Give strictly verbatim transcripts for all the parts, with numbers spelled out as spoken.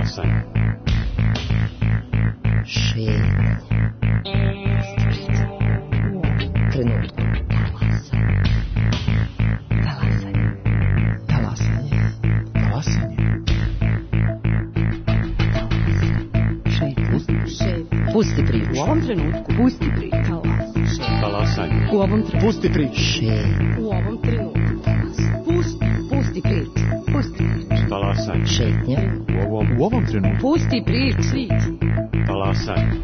Talasanje. Šetnja. Trenutku. Talasanje. Talasanje. Talasanje. Šetnja. Pusti priču. U ovom trenutku. Pusti priču. Talasanje. U ovom trenutku. Pusti priču. Šetnja. U ovom trenutku. Pusti. Pusti priču. Pusti priču. Talasanje. Šetnja. U ovom, U ovom trenutku. Pusti priču. talasanje.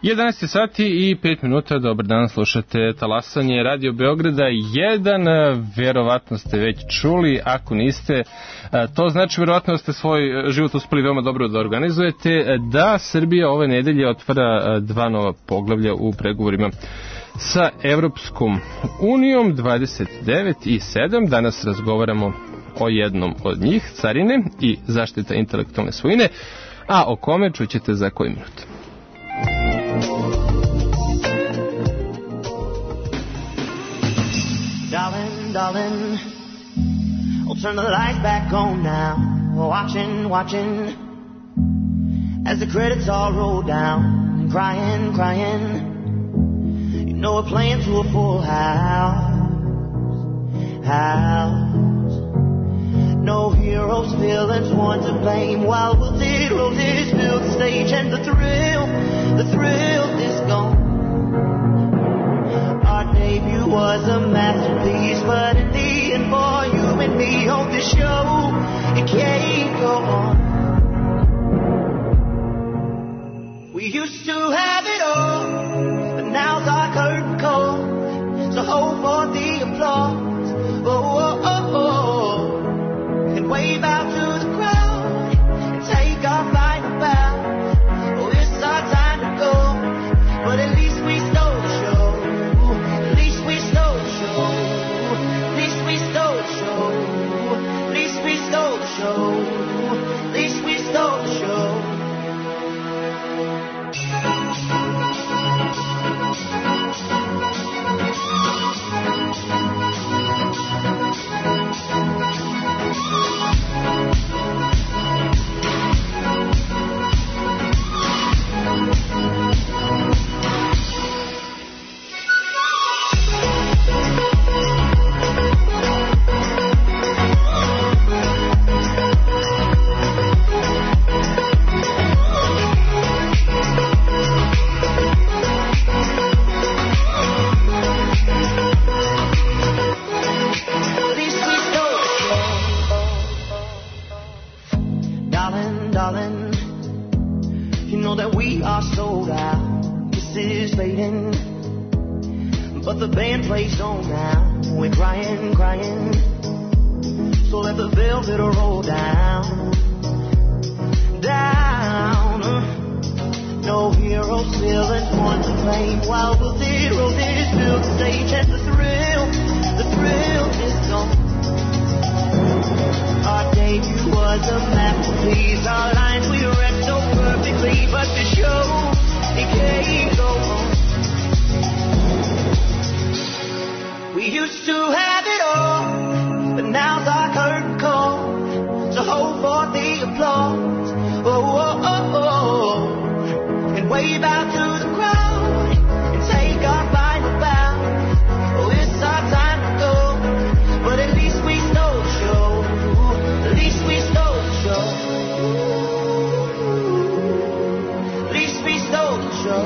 jedanaest sati i pet minuta, dobar dan, slušate Talasanje Radio Beograda jedan, verovatno ste već čuli, ako niste, to znači verovatno da ste svoj život uspeli veoma dobro da organizujete, da Srbija ove nedelje otvara dva nova poglavlja u pregovorima sa Evropskom unijom, dvadeset devet i sedam. Danas razgovaramo o jednom od njih, carine i zaštita intelektualne svojine, a o kome čućete za koji minut. Darling, darling, I'll turn the lights back on now. Watching, watching, as the credits all roll down. Crying, crying, you know we're playing to a full house, house. No heroes, villains, one to blame. While we'll zero this, build the stage, and the thrill, the thrill is gone. Our debut was a masterpiece, but in the end, for you and me, on this show, it can't go on. We used to have it all, but now's our curtain call. So hold for the applause, oh, oh, oh, oh, and wave out to the crowd, and take our final bow. Oh, it's our time to go, but at least we stole the show. At least we stole the show. At least we stole the show. At least we stole the show. At least we stole the show. But the band plays on now. We're crying, crying. So let the velvet roll down, down. No heroes, villains, one to blame. While we'll zero this, build the stage, and the thrill, the thrill is gone. Our debut was a masterpiece. Our lines we read so perfectly, but the show, it can't go on. We used to have it all, but now's our curtain call. So hold for the applause, oh, oh, oh, oh, and wave out to the crowd, and take our final bow. Oh, it's our time to go, but at least we stole the show. At least we stole the show. At least we stole the show.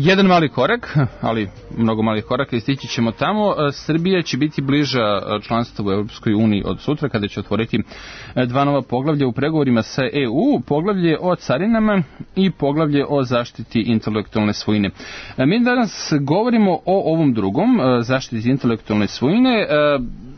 jedan mali korak, ali mnogo malih koraka i stići ćemo tamo. Srbija će biti bliža članstvu u Europskoj uniji od sutra kada će otvoriti dva nova poglavlja u pregovorima sa E U, poglavlje o carinama i poglavlje o zaštiti intelektualne svojine. Mi danas govorimo o ovom drugom, zaštiti intelektualne svojine.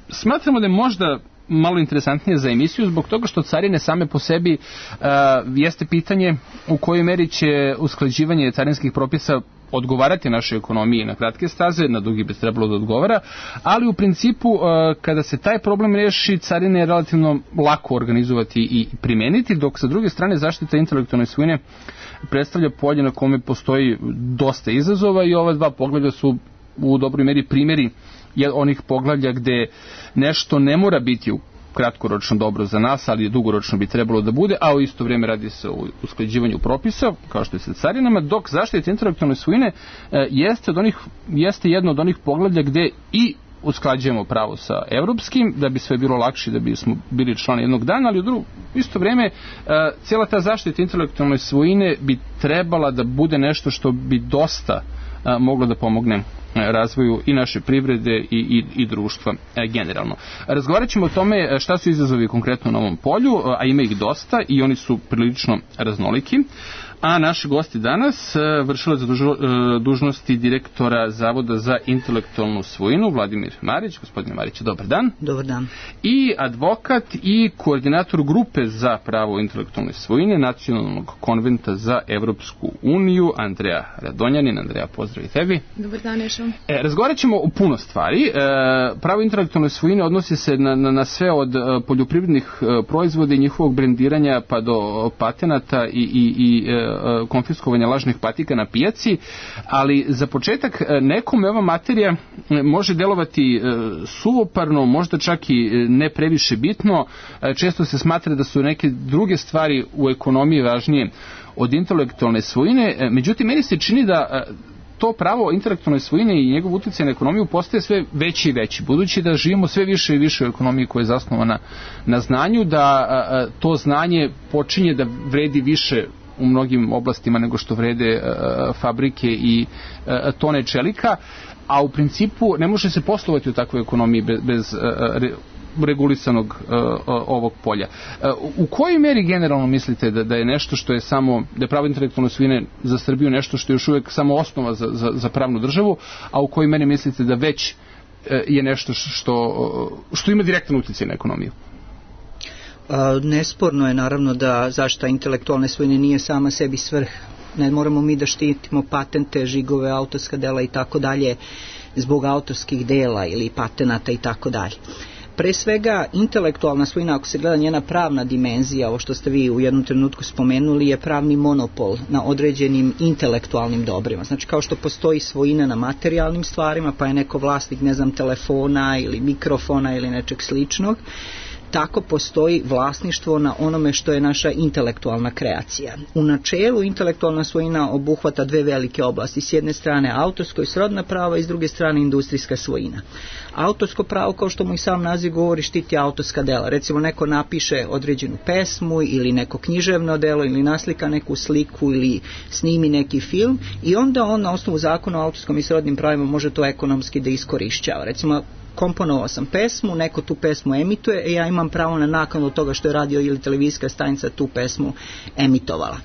Smatramo da je možda malo interesantnije za emisiju zbog toga što carine same po sebi uh, jeste pitanje u kojoj meri će usklađivanje carinskih propisa odgovarati našoj ekonomiji na kratke staze, na dugi bi trebalo da odgovara, ali u principu uh, kada se taj problem reši, carine je relativno lako organizovati i primeniti, dok sa druge strane zaštita intelektualne svojine predstavlja polje na kome postoji dosta izazova i ova dva poglavlja su u dobroj meri primjeri onih poglavlja gde nešto ne mora biti u kratkoročno dobro za nas, ali dugoročno bi trebalo da bude, a u isto vrijeme radi se o usklađivanju propisa, kao što je sa carinama, dok zaštita intelektualne svojine e, jeste, od onih, jeste jedno od onih poglavlja gde i usklađujemo pravo sa evropskim, da bi sve bilo lakše, da bi smo bili člani jednog dana, ali u drugo, isto vrijeme, e, cijela ta zaštita intelektualne svojine bi trebala da bude nešto što bi dosta a, moglo da pomogne razvoju i naše privrede i, i, i društva e, generalno. Razgovarat ćemo o tome šta su izazovi konkretno na ovom polju, a ima ih dosta i oni su prilično raznoliki. A naši gosti danas vršilac dužnosti direktora Zavoda za intelektualnu svojinu Vladimir Marić. Gospodine Marić, dobar dan. Dobar dan. I advokat i koordinator grupe za pravo intelektualne svojine Nacionalnog konventa za Evropsku uniju Andreja Radonjanin. Andreja, pozdrav i tebi. Dobar dan, Ešo. E, razgovarat ćemo o puno stvari. E, pravo intelektualne svojine odnosi se na, na, na sve od poljoprivrednih proizvoda i njihovog brendiranja pa do patenata i, i, i konfiskovanja lažnih patika na pijaci, ali za početak nekome ova materija može delovati suvoparno, možda čak i ne previše bitno. Često se smatra da su neke druge stvari u ekonomiji važnije od intelektualne svojine, međutim meni se čini da to pravo intelektualne svojine i njegov utjecaj na ekonomiju postaje sve veći i veći, budući da živimo sve više i više u ekonomiji koja je zasnovana na znanju, da to znanje počinje da vredi više u mnogim oblastima nego što vrede uh, fabrike i uh, tone čelika, a u principu ne može se poslovati u takvoj ekonomiji bez, bez uh, re, regulisanog uh, ovog polja. Uh, u kojoj meri generalno mislite da, da je nešto što je samo, da je pravo intelektualne svojine za Srbiju nešto što je još uvijek samo osnova za, za, za pravnu državu, a u kojoj meri mislite da već uh, je nešto što, što ima direktan utjecaj na ekonomiju? Nesporno je naravno da zaštita intelektualne svojine nije sama sebi svrh. Ne moramo mi da štitimo patente, žigove, autorska dela i tako dalje zbog autorskih dela ili patenata i tako dalje. Pre svega, intelektualna svojina, ako se gleda njena pravna dimenzija, ovo što ste vi u jednom trenutku spomenuli, je pravni monopol na određenim intelektualnim dobrima. Znači, kao što postoji svojina na materijalnim stvarima, pa je neko vlasnik, ne znam, telefona ili mikrofona ili nečeg sličnog, tako postoji vlasništvo na onome što je naša intelektualna kreacija. U načelu intelektualna svojina obuhvata dve velike oblasti. S jedne strane autorsko i srodna prava i s druge strane industrijska svojina. Autorsko pravo, kao što mu i sam naziv govori, štiti autorska dela. Recimo neko napiše određenu pesmu ili neko književno delo ili naslika neku sliku ili snimi neki film i onda on na osnovu zakona o autorskom i srodnim pravima može to ekonomski da iskorišćava. Recimo, komponovao sam pesmu, neko tu pesmu emituje i ja imam pravo na naknadu od toga što je radio ili televizijska stanica tu pesmu emitovala.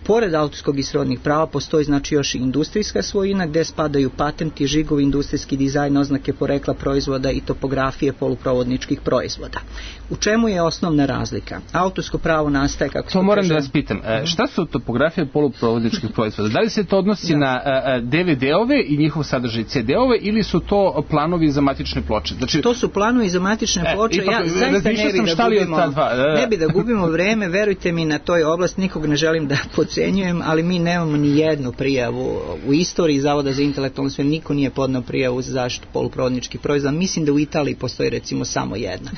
Pored autorskog i srodnih prava postoji znači još i industrijska svojina gdje spadaju patenti, žigovi, industrijski dizajn, oznake porekla proizvoda i topografije poluprovodničkih proizvoda. U čemu je osnovna razlika? Autorsko pravo nastaje kako... To moram da vas pitam. Šta su topografije poluprovodničkih proizvoda? Da li se to odnosi da. na de ve de-ove i njihov sadržaj ce de-ove ili su to planovi za matične ploče? Znači... To su planovi za matične ploče. E, ipak, ja zaista ne bi, da gubimo, ne bi da gubimo vreme, verujte mi na toj oblasti, nikog ne želim da podcenjujem, ali mi nemamo ni jednu prijavu u istoriji Zavoda za intelektualnu svojinu, niko nije podneo prijavu za zaštitu poluprovodničkih proizvoda. Mislim da u Italiji postoji recimo samo jedna.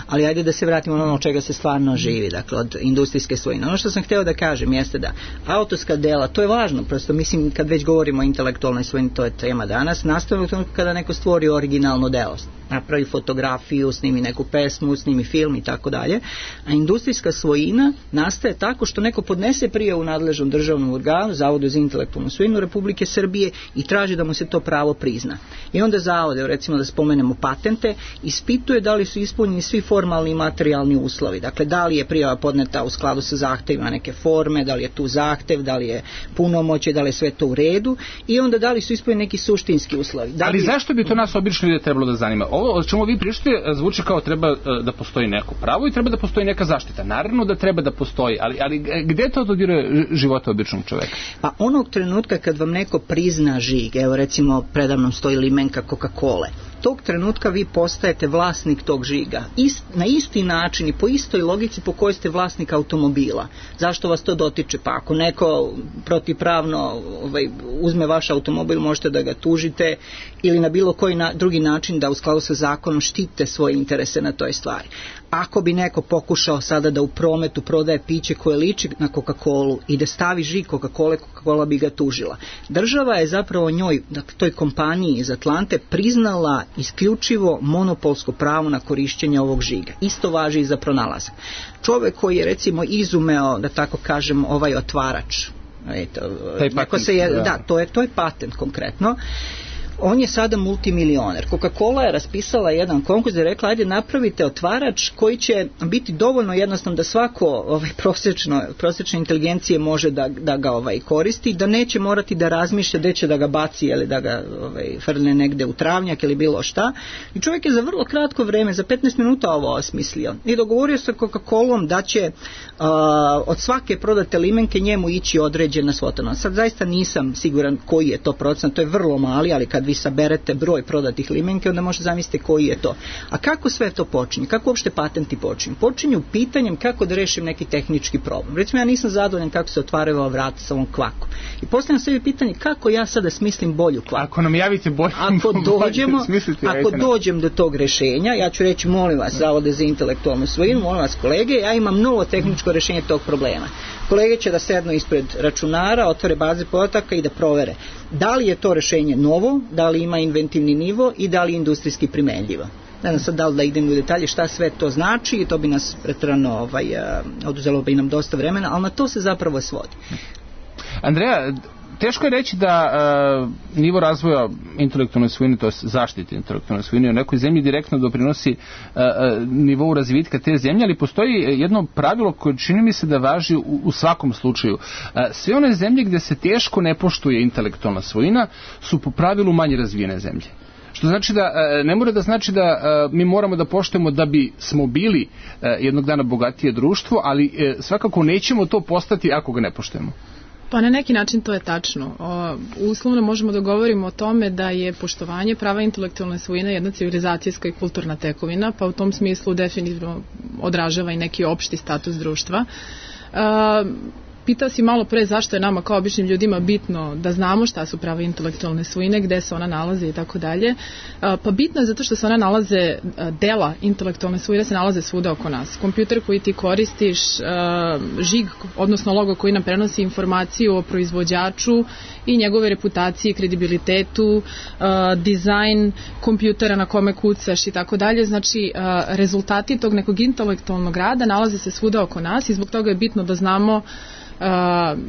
Ali ajde da se vratimo na ono od čega se stvarno živi, dakle od industrijske svojine. Ono što sam hteo da kažem jeste da autorska dela, to je važno, prosto mislim kad već govorimo o intelektualnoj svojini, to je tema danas, nastavno kada neko stvori originalno delo. napravi fotografiju, snimi neku pesmu, snimi film i tako dalje. A industrijska svojina nastaje tako što neko podnese prijavu nadležnom državnom organu, Zavodu za intelektualnu svojinu Republike Srbije i traži da mu se to pravo prizna. I onda zavod, recimo da spomenemo patente, ispituje da li su ispunjeni svi formalni i materijalni uslovi. Dakle, da li je prijava podneta u skladu sa zahtevima neke forme, da li je tu zahtev, da li je punomoćje, da li je sve to u redu i onda da li su ispunjeni neki suštinski uslovi. Da Ali je... zašto bi to nas obično ljude trebalo da zanima? Ovo o čemu vi pričate zvuči kao treba da postoji neko pravo i treba da postoji neka zaštita. Naravno da treba da postoji, ali, ali gde to dodiruje života običnog čoveka? Pa onog trenutka kad vam neko prizna žig, evo recimo predavnom stoji limenka Coca-Cola, tog trenutka vi postajete vlasnik tog žiga. Ist, na isti način i po istoj logici po kojoj ste vlasnik automobila. Zašto vas to dotiče? Pa ako neko protivpravno ovaj, uzme vaš automobil, možete da ga tužite ili na bilo koji na, drugi način da u skladu sa zakonom štite svoje interese na toj stvari. Ako bi neko pokušao sada da u prometu prodaje piće koje liči na Coca-Colu i da stavi žig Coca-Cola, Coca-Cola bi ga tužila. Država je zapravo njoj, dakle, toj kompaniji iz Atlante, priznala isključivo monopolsko pravo na korišćenje ovog žiga. Isto važi i za pronalazak. Čovek koji je recimo izumeo, da tako kažem, ovaj otvarač, eto, neko se je, da, to je, to je patent konkretno, on je sada multimilioner. Coca-Cola je raspisala jedan konkurs i rekla, ajde napravite otvarač koji će biti dovoljno jednostavno da svako ovaj, prosječno, prosječne inteligencije može da, da ga ovaj, koristi, da neće morati da razmišlja gde će da ga baci ili da ga ovaj, frne negde u travnjak ili bilo šta. I čovjek je za vrlo kratko vreme, za petnaest minuta ovo osmislio. I dogovorio se Coca-Colom da će uh, od svake prodate limenke njemu ići određena svota. Sad zaista nisam siguran koji je to procent, to je vrlo mali, ali kad vi saberete broj prodatih limenke, onda možete zamisliti koji je to. A kako sve to počinje? Kako uopšte patenti počinju? Počinju pitanjem kako da rešim neki tehnički problem. Recimo, ja nisam zadovoljan kako se otvaraju ova vrata sa ovom kvakom. I postavljam sebi pitanje kako ja sada smislim bolju kvaku. Ako nam javite bolju, ako dođemo, smisliti, ako dođem do tog rešenja, ja ću reći, molim vas, Zavode za intelektualnu svojinu, molim vas kolege, ja imam novo tehničko rešenje tog problema. Kolege će da sednu ispred računara, otvore baze podataka i da provere da li je to rešenje novo, da li ima inventivni nivo i da li je industrijski primenljivo. Ne znam sad da li da idem u detalje šta sve to znači i to bi nas pretrano ovaj, oduzelo bi nam dosta vremena, ali na to se zapravo svodi. Andreja, teško je reći da uh, nivo razvoja intelektualne svojine, to je zaštite intelektualne svojine, u nekoj zemlji direktno doprinosi uh, uh, nivou razvitka te zemlje, ali postoji jedno pravilo koje čini mi se da važi u, u svakom slučaju. Uh, sve one zemlje gdje se teško ne poštuje intelektualna svojina su po pravilu manje razvijene zemlje. Što znači da ne mora da znači da mi moramo da poštujemo da bi smo bili jednog dana bogatije društvo, ali svakako nećemo to postati ako ga ne poštujemo. Pa na neki način to je tačno. O, uslovno možemo da govorimo o tome da je poštovanje prava intelektualne svojine jedna civilizacijska i kulturna tekovina, pa u tom smislu definitivno odražava i neki opšti status društva. E, Pitao si malo pre zašto je nama kao običnim ljudima bitno da znamo šta su prava intelektualne svojine, gde se ona nalaze i tako dalje. Pa bitno je zato što se ona nalaze, dela intelektualne svojine se nalaze svuda oko nas. Kompjuter koji ti koristiš, žig, odnosno logo koji nam prenosi informaciju o proizvođaču i njegove reputaciji i kredibilitetu, dizajn kompjutera na kome kucaš i tako dalje. Znači, rezultati tog nekog intelektualnog rada nalaze se svuda oko nas i zbog toga je bitno da znamo Uh,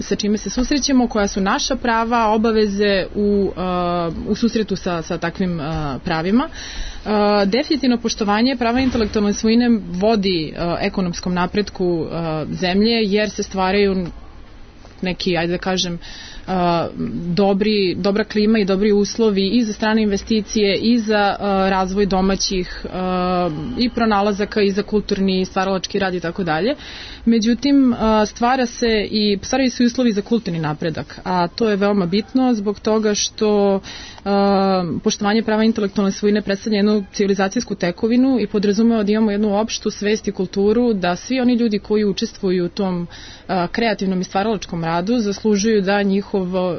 sa čime se susrećemo, koja su naša prava, obaveze u, uh, u susretu sa, sa takvim uh, pravima. Uh, definitivno poštovanje prava intelektualne svojine vodi uh, ekonomskom napretku uh, zemlje, jer se stvaraju neki, ajde da kažem, Uh, dobri, dobra klima i dobri uslovi i za strane investicije i za uh, razvoj domaćih uh, i pronalazaka i za kulturni i stvaralački rad i tako dalje. Međutim, uh, stvara se i stvaraju se uslovi za kulturni napredak, a to je veoma bitno zbog toga što uh, poštovanje prava intelektualne svojine predstavlja jednu civilizacijsku tekovinu i podrazumeva da imamo jednu opštu svest i kulturu da svi oni ljudi koji učestvuju u tom uh, kreativnom i stvaralačkom radu zaslužuju da njihov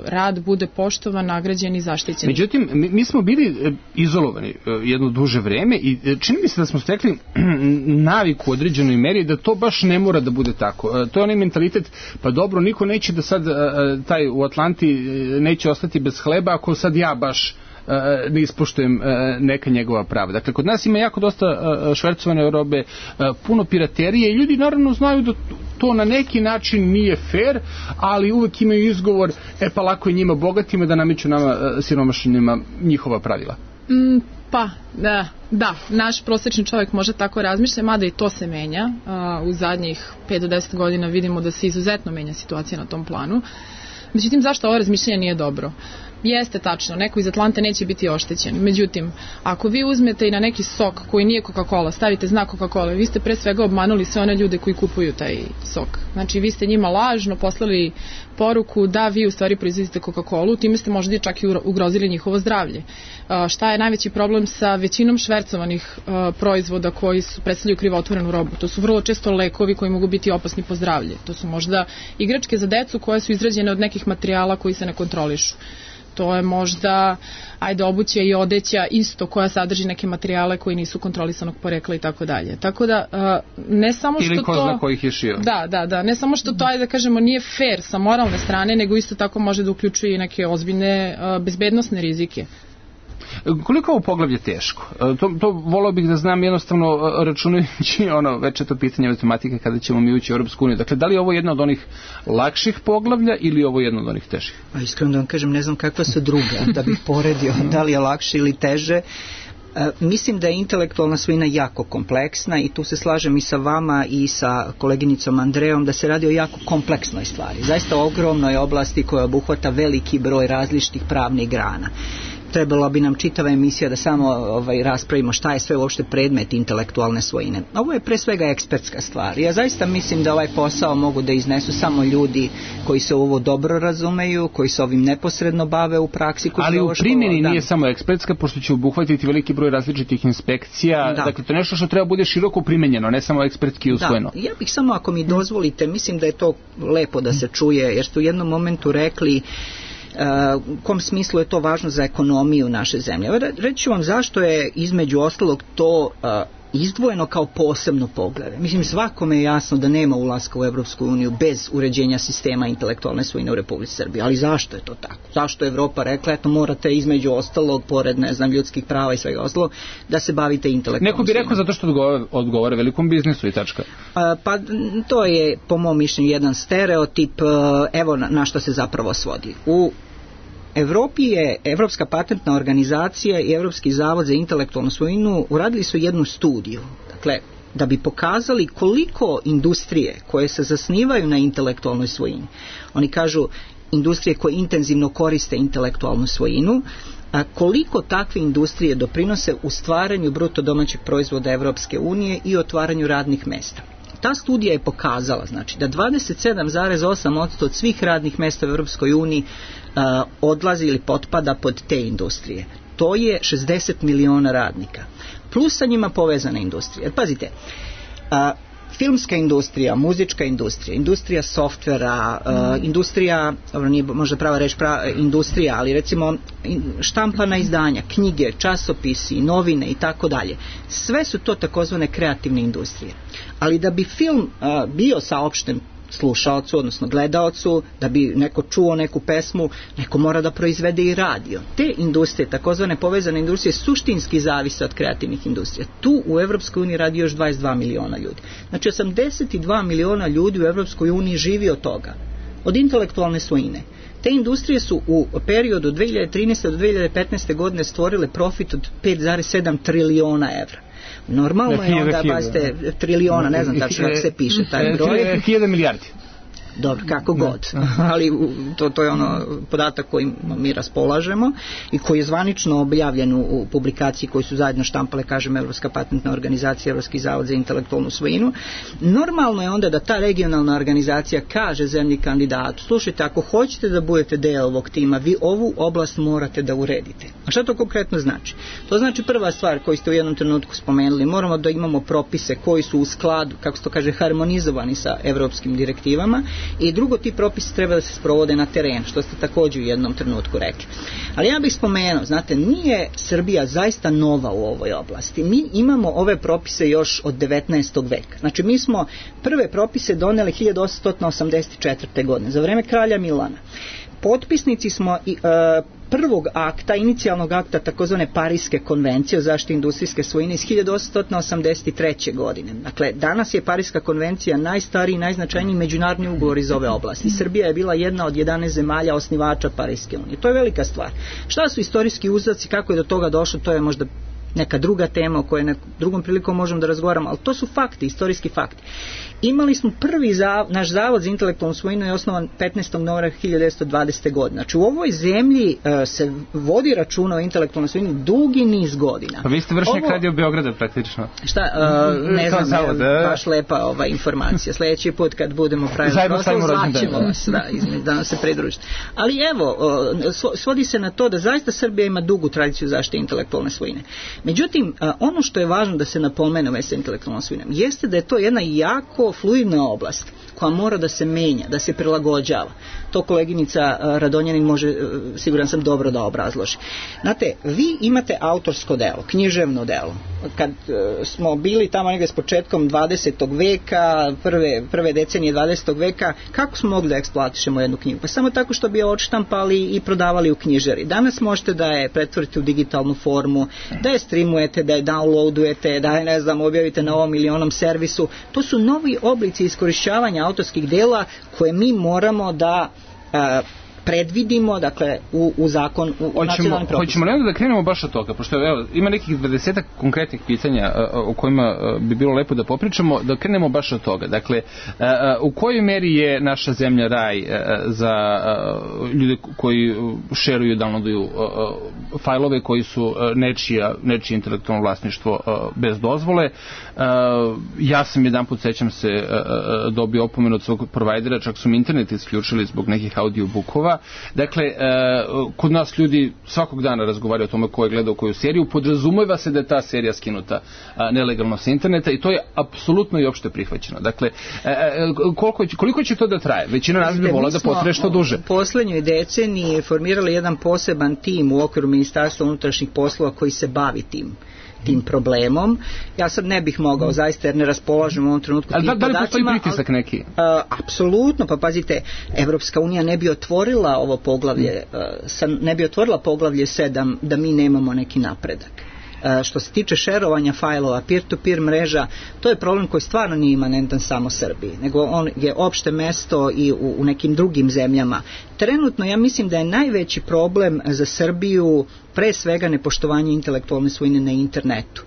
rad bude poštovan, nagrađen i zaštićen. Međutim, mi, mi smo bili izolovani jedno duže vreme i čini mi se da smo stekli naviku u određenoj meri da to baš ne mora da bude tako. To je onaj mentalitet, pa dobro, niko neće da sad taj u Atlanti neće ostati bez hleba ako sad ja baš ne ispoštujem neka njegova prava. Dakle, kod nas ima jako dosta švercovane robe, puno piraterije i ljudi naravno znaju da to na neki način nije fair, ali uvek imaju izgovor, e pa lako je njima bogatima da nameću nama siromašnima njihova pravila. Mm, pa, da, da, naš prosječni čovjek može tako razmišlja, mada i to se menja. U zadnjih pet do deset godina vidimo da se izuzetno menja situacija na tom planu. Međutim, zašto ovo razmišljanje nije dobro? Jeste tačno, neko iz Atlante neće biti oštećen. Međutim, ako vi uzmete i na neki sok koji nije Coca-Cola, stavite znak Coca-Cola, vi ste pre svega obmanuli sve one ljude koji kupuju taj sok. Znači, vi ste njima lažno poslali poruku da vi u stvari proizvodite Coca-Colu, time ste možda čak i ugrozili njihovo zdravlje. Šta je najveći problem sa većinom švercovanih proizvoda koji su predstavljaju krivotvorenu robu? To su vrlo često lekovi koji mogu biti opasni po zdravlje. To su možda igračke za decu koje su izrađene od nekih materijala koji se ne kontrolišu. To je možda, ajde, obuća i odeća isto koja sadrži neke materijale koji nisu kontrolisanog porekla i tako dalje. Tako da, ne samo što to... Ili ko zna ko ih je šio. Da, da, da. Ne samo što to, ajde da kažemo, nije fair sa moralne strane, nego isto tako može da uključuje i neke ozbiljne bezbednosne rizike. Koliko ovo poglavlje teško? To, to volao bih da znam jednostavno računajući ono večeto pitanje matematike kada ćemo mi ući u Europsku uniju. Dakle, da li je ovo jedno od onih lakših poglavlja ili je ovo jedno od onih težih? A iskreno da vam kažem, ne znam kakva su druga, da bih poredio da li je lakše ili teže. E, mislim da je intelektualna svojina jako kompleksna i tu se slažem i sa vama i sa koleginicom Andrejom da se radi o jako kompleksnoj stvari. Zaista ogromnoj oblasti koja obuhvata veliki broj različitih pravnih grana. Trebala bi nam čitava emisija da samo ovaj, raspravimo šta je sve uopšte predmet intelektualne svojine. Ovo je pre svega ekspertska stvar. Ja zaista mislim da ovaj posao mogu da iznesu samo ljudi koji se ovo dobro razumeju, koji se ovim neposredno bave u praksi. Ali u primjeni nije samo ekspertska, pošto će obuhvatiti veliki broj različitih inspekcija. Da. Dakle, to je nešto što treba bude široko primenjeno, ne samo ekspertski usvojeno. Da. Ja bih samo, ako mi dozvolite, mislim da je to lepo da se čuje, jer ste u jednom momentu rekli u kom smislu je to važno za ekonomiju naše zemlje. Reći ću vam zašto je između ostalog to izdvojeno kao posebno poglavlje. Mislim, svakome je jasno da nema ulaska u Evropsku uniju bez uređenja sistema intelektualne svojine u Republici Srbiji. Ali zašto je to tako? Zašto je Evropa rekla, eto morate između ostalog, pored, ne znam, ljudskih prava i svega ostalog, da se bavite intelektualnom Neko bi rekao svinom. Zato što odgovore, odgovore velikom biznisu i tačka. A, pa to je, po mom mišljenju, jedan stereotip, evo na, na što se zapravo svodi. U Evropi je Evropska patentna organizacija i Evropski zavod za intelektualnu svojinu uradili su jednu studiju, dakle, da bi pokazali koliko industrije koje se zasnivaju na intelektualnoj svojini, oni kažu industrije koje intenzivno koriste intelektualnu svojinu, a koliko takve industrije doprinose u stvaranju bruto domaćeg proizvoda Evropske unije i otvaranju radnih mesta. Ta studija je pokazala, znači, da dvadeset sedam zarez osam posto od svih radnih mesta u Evropskoj uniji uh, odlazi ili potpada pod te industrije. To je šezdeset miliona radnika. Plus sa njima povezana industrija. Jer pazite, uh, filmska industrija, muzička industrija, industrija softvera, uh, industrija, dobro, nije možda prava reći prava, industrija, ali recimo štampana izdanja, knjige, časopisi, novine i tako dalje. Sve su to takozvane kreativne industrije. Ali da bi film uh, bio saopšten slušaocu, odnosno gledaocu, da bi neko čuo neku pesmu, neko mora da proizvede i radio. Te industrije, takozvane povezane industrije, suštinski zavise od kreativnih industrija. Tu u Evropskoj uniji radi još dvadeset dva miliona ljudi. Znači, osamdeset dva miliona ljudi u Evropskoj uniji živi od toga, od intelektualne svojine. Te industrije su u periodu dve hiljade trinaeste do dve hiljade petnaeste godine stvorile profit od pet zarez sedam triliona evra. Normalno je onda, bazite, triliona, ne znam tačno kako se piše taj broj. Hiljada milijardi. Dobro, kako god, ali to, to je ono podatak kojim mi raspolažemo i koji je zvanično objavljen u publikaciji koju su zajedno štampale, kažem, Evropska patentna organizacija, Evropski zavod za intelektualnu svojinu. Normalno je onda da ta regionalna organizacija kaže zemlji kandidatu, slušajte, ako hoćete da budete deo ovog tima, vi ovu oblast morate da uredite. A šta to konkretno znači? To znači prva stvar koju ste u jednom trenutku spomenuli, moramo da imamo propise koji su u skladu, kako se to kaže, harmonizovani sa evropskim direktivama. I drugo, ti propisi treba da se sprovode na terenu, što ste također u jednom trenutku rekli. Ali ja bih spomenuo, znate, nije Srbija zaista nova u ovoj oblasti. Mi imamo ove propise još od devetnaestog veka. Znači, mi smo prve propise doneli hiljadu osamsto osamdeset četvrte. godine, za vreme kralja Milana. Potpisnici smo i, uh, prvog akta, inicijalnog akta takozvane Pariske konvencije o zaštiti industrijske svojine iz hiljadu osamsto osamdeset treće. godine. Dakle, danas je Pariska konvencija najstariji i najznačajniji međunarodni ugovor iz ove oblasti. Srbija je bila jedna od jedanaest zemalja osnivača Pariske unije. To je velika stvar. Šta su istorijski uzroci, kako je do toga došlo, to je možda neka druga tema o kojoj nekom drugom prilikom možemo da razgovaramo, ali to su fakti, istorijski fakti. Imali smo prvi zav, naš zavod za intelektualnu svojinu je osnovan petnaestog novembra hiljadu devetsto dvadesete. godine. Znači u ovoj zemlji uh, se vodi računa o intelektualnoj svojini dugi niz godina. Pa vi ste vršnik Ovo, Radio Beograda praktično. Šta, uh, ne znam, zavod, je, baš lepa ova informacija. Sljedeći put kad budemo pravili proslavu, zvaćemo vas, da, da nam se pridružite. Ali evo, uh, svodi se na to da zaista Srbija ima dugu tradiciju zaštite intelektualne svojine. Međutim, uh, ono što je važno da se napomene već sa intelektualnom svojinom, jeste da je to jedna jako fluidna oblast koja mora da se menja, da se prilagođava. To koleginica Radonjanin može, siguran sam, dobro da obrazloži. Znate, vi imate autorsko delo, književno delo. Kad smo bili tamo negdje s početkom dvadesetog veka, prve, prve decenije dvadesetog veka, kako smo mogli da eksploatišemo jednu knjigu? Pa samo tako što bi je odštampali i prodavali u knjižari. Danas možete da je pretvorite u digitalnu formu, da je streamujete, da je downloadujete, da je, ne znam, objavite na ovom ili onom servisu. To su novi oblici iskorišćavanja autorskih dela koje mi moramo da a, predvidimo, dakle, u, u zakon, u, u nacionalnim propisima. Hoćemo li onda da krenemo baš od toga, pošto evo, ima nekih dvadesetak konkretnih pitanja o kojima bi bilo lepo da popričamo, da krenemo baš od toga. Dakle, u kojoj meri je naša zemlja raj za ljude koji šeruju, downloaduju fajlove koji su nečija, nečije intelektualno vlasništvo bez dozvole. Ja sam jedan put, sećam se, dobio opomenu od svog provajdera, čak su mi internet isključili zbog nekih audiobookova. Dakle, kod nas ljudi svakog dana razgovaraju o tome ko je gledao koju seriju, podrazumeva se da je ta serija skinuta nelegalno sa interneta i to je apsolutno i opšte prihvaćeno. Dakle, koliko, koliko će to da traje? Većina nas bi volila da potraje što duže. U poslednjoj deceniji formirali jedan poseban tim u okviru Ministarstva unutrašnjih poslova koji se bavi tim tim problemom. Ja sad ne bih mogao, zaista, jer ne raspolažem u ovom trenutku tim podacima. Ali da li postoji pritisak neki? Uh, apsolutno, pa pazite, Evropska unija ne bi otvorila ovo poglavlje, uh, sam, ne bi otvorila poglavlje sedam da mi nemamo neki napredak. Uh, što se tiče šerovanja fajlova, peer-to-peer mreža, to je problem koji stvarno nije imanentan samo Srbiji, nego on je opšte mesto i u, u nekim drugim zemljama. Trenutno ja mislim da je najveći problem za Srbiju pre svega nepoštovanje intelektualne svojine na internetu.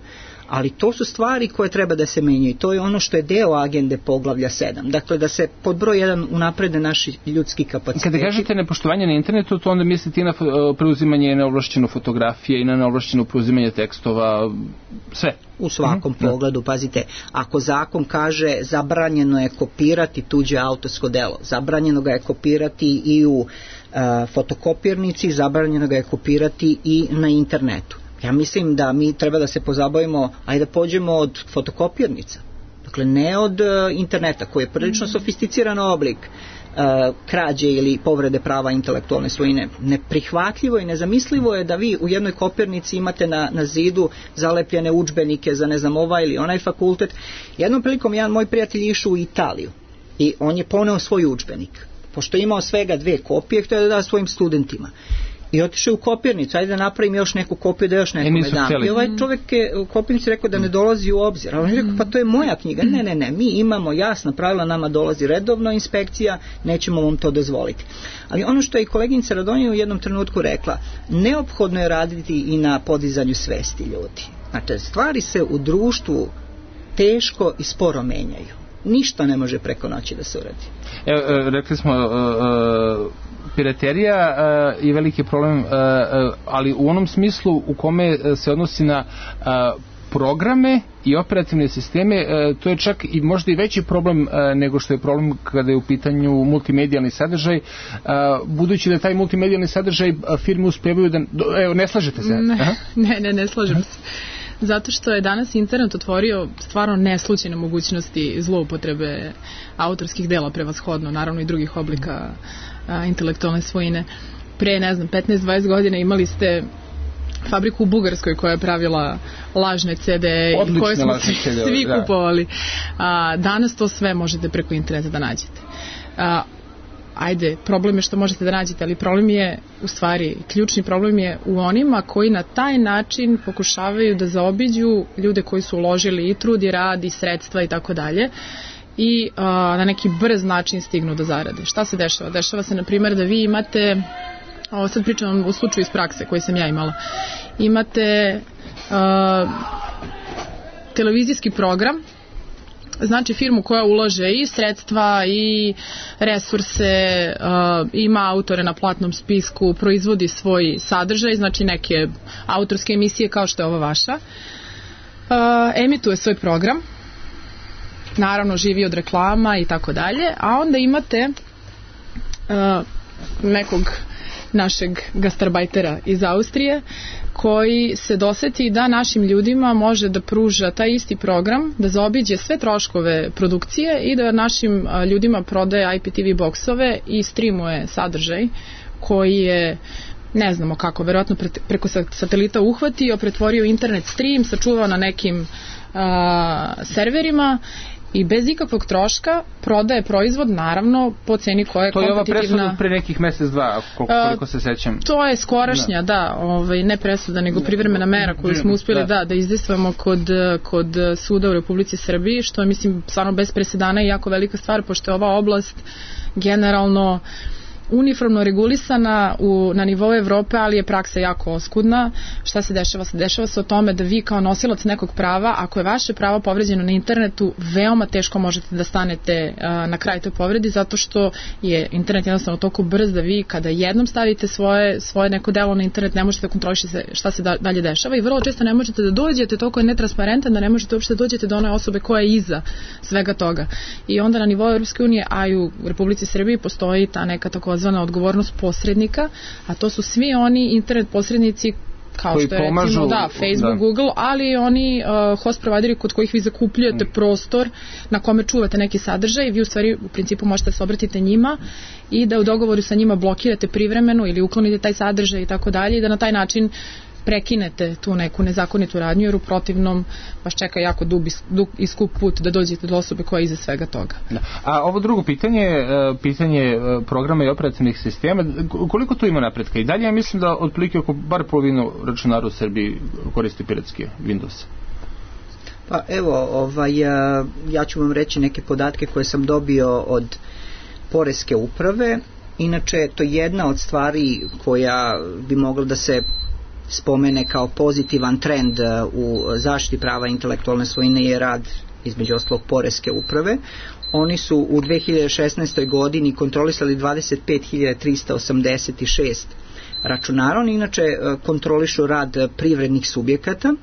Ali to su stvari koje treba da se menjaju. To je ono što je deo agende poglavlja sedam. Dakle, da se pod broj jedan unaprede naši ljudski kapaciteti. Kada kažete nepoštovanje na internetu, to onda mislite i na preuzimanje neovlašćeno fotografije i na neovlašćeno preuzimanje tekstova, sve? U svakom mm-hmm. pogledu, pazite, ako zakon kaže zabranjeno je kopirati tuđe autorsko delo, zabranjeno ga je kopirati i u uh, fotokopirnici, zabranjeno ga je kopirati i na internetu. Ja mislim da mi treba da se pozabavimo, ajde da pođemo od fotokopirnica, dakle ne od uh, interneta, koji je prilično mm. sofisticiran oblik uh, krađe ili povrede prava intelektualne svojine. Neprihvatljivo i nezamislivo je da vi u jednoj kopirnici imate na, na zidu zalepljene udžbenike za ne znam ovaj ili onaj fakultet. Jednom prilikom jedan moj prijatelj išao u Italiju i on je poneo svoj udžbenik. Pošto je imao svega dve kopije, htio da da svojim studentima. I otišao u kopirnicu, ajde da napravim još neku kopiju da još nekome dam. I ovaj čovjek je u kopirnici rekao da ne dolazi u obzir. A on je rekao, pa to je moja knjiga. Ne, ne, ne, mi imamo jasna pravila, nama dolazi redovno inspekcija, nećemo vam to dozvoliti. Ali ono što je i koleginica Radonja u jednom trenutku rekla, neophodno je raditi i na podizanju svesti ljudi. Znači, stvari se u društvu teško i sporo menjaju. Ništa ne može preko noći da se uradi. Evo, rekli smo, uh, uh, piraterija uh, je veliki problem, uh, uh, ali u onom smislu u kome se odnosi na uh, programe i operativne sisteme, uh, to je čak i možda i veći problem uh, nego što je problem kada je u pitanju multimedijalni sadržaj, uh, budući da taj multimedijalni sadržaj uh, firme uspevaju da... Evo, ne slažete se? Ne, ne, ne, ne slažem se. Zato što je danas internet otvorio stvarno neslućene mogućnosti zloupotrebe autorskih dela prevashodno, naravno i drugih oblika a, intelektualne svojine. Pre, ne znam, petnaest dvadeset godina imali ste fabriku u Bugarskoj koja je pravila lažne ce de i koje smo svi kupovali. A, danas to sve možete preko interneta da nađete. A, ajde, problem je što možete da nađete, ali problem je, u stvari, ključni problem je u onima koji na taj način pokušavaju da zaobiđu ljude koji su uložili i trud i rad i sredstva i tako dalje i a, na neki brz način stignu do zarade. Šta se dešava? Dešava se, na primjer, da vi imate, ovo sad pričam u slučaju iz prakse koji sam ja imala, imate a, televizijski program, znači firmu koja ulaže i sredstva i resurse, uh, ima autore na platnom spisku, proizvodi svoj sadržaj, znači neke autorske emisije kao što je ova vaša, uh, emituje svoj program, naravno živi od reklama i tako dalje, a onda imate uh, nekog našeg gastarbajtera iz Austrije koji se doseti da našim ljudima može da pruža taj isti program, da zaobiđe sve troškove produkcije i da našim ljudima prodaje I P T V boksove i streamuje sadržaj koji je, ne znamo kako, verovatno preko satelita uhvatio, pretvorio internet stream, sačuvao na nekim a, serverima i bez ikakvog troška prodaje proizvod, naravno, po ceni koja je kompetitivna. To je ova presuda pre nekih mesec, dva, koliko se sećam. To je skorašnja, da, da ovaj, ne presuda, nego privremena mera koju smo uspjeli da, da, da izdejstvamo kod, kod suda u Republici Srbiji, što je, mislim, stvarno bez presedana i jako velika stvar, pošto je ova oblast generalno uniformno regulisana u, na nivou Evrope, ali je praksa jako oskudna. Šta se dešava? Se dešava se o tome da vi kao nosilac nekog prava, ako je vaše pravo povređeno na internetu, veoma teško možete da stanete a, na kraj toj povredi, zato što je internet jednostavno toliko brz da vi kada jednom stavite svoje, svoje neko delo na internet ne možete da kontrolišete šta se da, dalje dešava i vrlo često ne možete da dođete, toliko je netransparentan da ne možete uopšte da dođete do one osobe koja je iza svega toga. I onda na nivou Europske unije, a i u Republici Srbiji postoji ta neka tako zvana odgovornost posrednika, a to su svi oni internet posrednici kao koji što je pomažu, recimo da, Facebook, da. Google, ali oni uh, host provideri kod kojih vi zakupljujete mm. prostor na kome čuvate neki sadržaj, vi u stvari u principu možete se obratiti njima i da u dogovoru sa njima blokirate privremeno ili uklonite taj sadržaj i tako dalje i da na taj način prekinete tu neku nezakonitu radnju, jer u protivnom vas čeka jako dug, dug i skup put da dođete do osobe koja je iza svega toga. Da. A ovo drugo pitanje, pitanje programa i operativnih sistema, koliko tu ima napretka? I dalje ja mislim da otprilike oko bar polovinu računara u Srbiji koristi piratski Windows. Pa evo, ovaj, ja ću vam reći neke podatke koje sam dobio od Poreske uprave. Inače, to je jedna od stvari koja bi mogla da se spomene kao pozitivan trend u zaštiti prava intelektualne svojine je rad između ostalog Poreske uprave. Oni su u dve hiljade šesnaestoj godini kontrolisali dvadeset pet hiljada trista osamdeset šest računara. Oni inače kontrolišu rad privrednih subjekata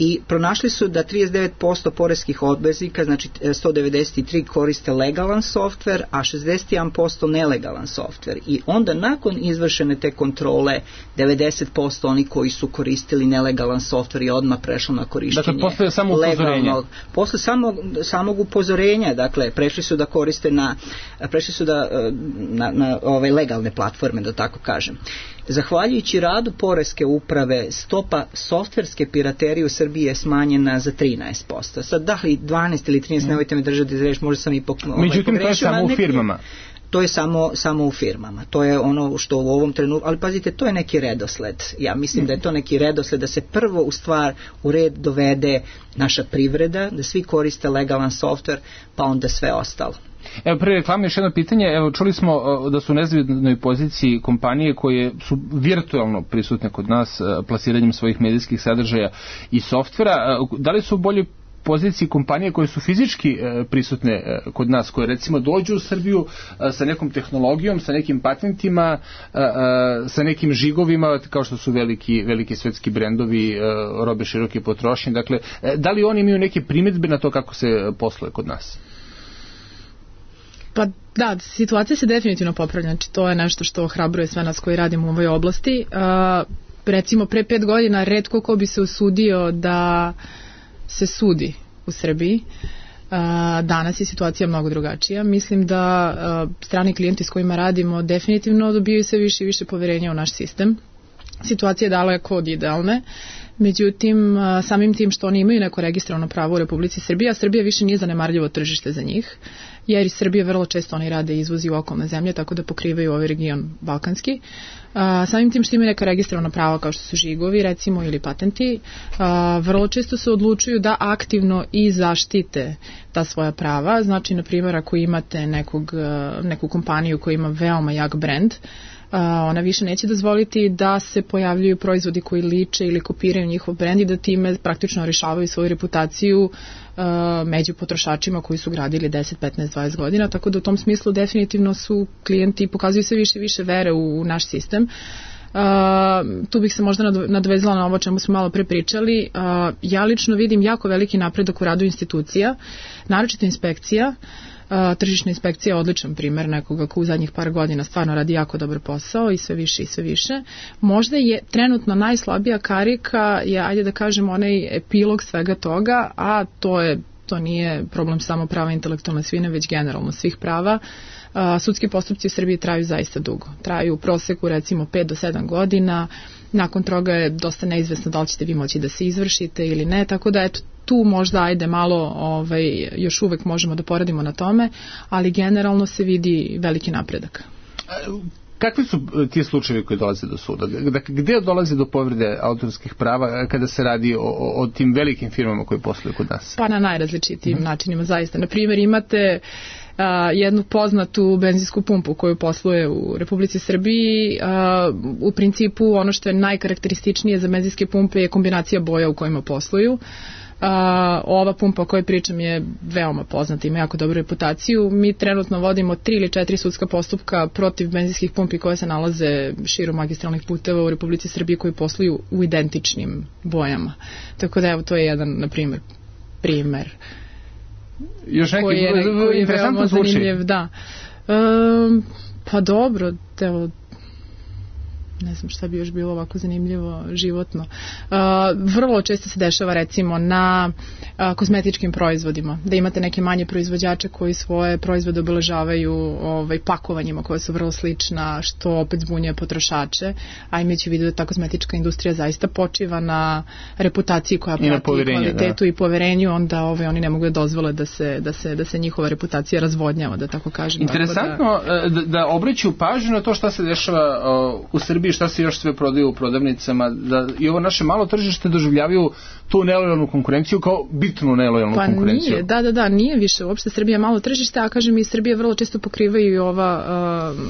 i pronašli su da trideset devet posto poreskih obveznika, znači sto devedeset tri koriste legalan softver, a šezdeset jedan posto nelegalan softver. I onda nakon izvršene te kontrole devedeset posto oni koji su koristili nelegalan softver i odmah prešlo na korišćenje dakle, posle samo upozorenja. Posle samog, samog upozorenja, dakle, prešli su da koriste na, prešli su da, na, na ove legalne platforme, da tako kažem. Zahvaljujući radu Poreske uprave, stopa softverske piraterije u Srbiji je smanjena za trinaest posto. Sad, da li dvanaest ili trinaest, nemojte me držati za reč, možda sam i pok, ovaj, međutim, to je samo u firmama. To je samo, samo u firmama. To je ono što u ovom trenutku, ali pazite, to je neki redosled. Ja mislim da je to neki redosled da se prvo u stvar u red dovede naša privreda, da svi koriste legalan softver, pa onda sve ostalo. Evo, pre reklame još jedno pitanje. Evo, čuli smo da su u nezavidnoj poziciji kompanije koje su virtualno prisutne kod nas plasiranjem svojih medijskih sadržaja i softvera. Da li su u boljoj poziciji kompanije koje su fizički e, prisutne e, kod nas, koje recimo dođu u Srbiju e, sa nekom tehnologijom, sa nekim patentima, e, e, sa nekim žigovima, kao što su veliki, veliki svetski brendovi, e, robe široke potrošnje. Dakle, e, da li oni imaju neke primjedbe na to kako se posluje kod nas? Pa da, situacija se definitivno popravlja, znači to je nešto što ohrabruje sve nas koji radimo u ovoj oblasti. Uh, recimo pre pet godina retko ko bi se usudio da se sudi u Srbiji. Uh, danas je situacija mnogo drugačija. Mislim da uh, strani klijenti s kojima radimo definitivno dobijaju sve više i više poverenja u naš sistem. Situacija je daleko od idealne. Međutim, samim tim što oni imaju neko registrovano pravo u Republici Srbiji, a Srbija više nije zanemarljivo tržište za njih, jer iz Srbije vrlo često oni rade izvozi u okolne zemlje, tako da pokrivaju ovaj region balkanski. A, samim tim što imaju neka registrovana prava kao što su žigovi recimo ili patenti, a, vrlo često se odlučuju da aktivno i zaštite ta svoja prava. Znači, na primjer, ako imate nekog, neku kompaniju koja ima veoma jak brend, ona više neće dozvoliti da se pojavljuju proizvodi koji liče ili kopiraju njihov brend i da time praktično rešavaju svoju reputaciju uh, među potrošačima koji su gradili deset, petnaest, dvadeset godina, tako da u tom smislu definitivno su klijenti pokazuju sve više i više vere u, u naš sistem. Uh, tu bih se možda nadovezala na ovo čemu smo malo pre pričali. Uh, ja lično vidim jako veliki napredak u radu institucija, naročito inspekcija. Uh, tržišna inspekcija je odličan primer nekoga ko u zadnjih par godina stvarno radi jako dobar posao i sve više i sve više. Možda je trenutno najslabija karika je, ajde da kažem, onaj epilog svega toga, a to je to nije problem samo prava intelektualne svojine, već generalno svih prava. Uh, sudski postupci u Srbiji traju zaista dugo. Traju u proseku recimo pet do sedam godina, nakon toga je dosta neizvesno da li ćete vi moći da se izvršite ili ne, tako da eto, tu možda ajde malo, ovaj, još uvek možemo da poradimo na tome, ali generalno se vidi veliki napredak. Kakvi su ti slučajevi koji dolaze do suda? Dakle, gde dolazi do povrede autorskih prava kada se radi o, o, o tim velikim firmama koje posluju kod nas? Pa na najrazličitijim mm. načinima, zaista. Na primjer, imate Uh, jednu poznatu benzinsku pumpu koju posluje u Republici Srbiji. Uh, u principu ono što je najkarakterističnije za benzinske pumpe je kombinacija boja u kojima posluju. Uh, ova pumpa o kojoj pričam je veoma poznata, ima jako dobru reputaciju. Mi trenutno vodimo tri ili četiri sudska postupka protiv benzinskih pumpi koje se nalaze širom magistralnih puteva u Republici Srbiji koji posluju u identičnim bojama. Tako da evo, to je jedan, na primjer, primer. Još neki koji je, koji je interesantno zvuči. Da. Um, pa dobro, evo, ne znam šta bi još bilo ovako zanimljivo životno. Uh, vrlo često se dešava recimo na uh, kozmetičkim proizvodima, da imate neke manje proizvođače koji svoje proizvode obeležavaju ovaj, pakovanjima koja su vrlo slična, što opet zbunjuje potrošače, a imajući u vidu da ta kozmetička industrija zaista počiva na reputaciji koja prati kvalitetu da. I poverenju, onda ovaj, oni ne mogu da dozvole da se, da, se, da se njihova reputacija razvodnjava, da tako kažem. Interesantno da, da, da obraćaju pažnju na to šta se dešava uh, u Srbiji, šta se još sve prodaju u prodavnicama, da i ovo naše malo tržište doživljavaju tu nelojalnu konkurenciju kao bitnu nelojalnu pa konkurenciju. Nije, da, da, da, nije više uopšte Srbija malo tržište, a kažem i Srbija vrlo često pokrivaju i ova um,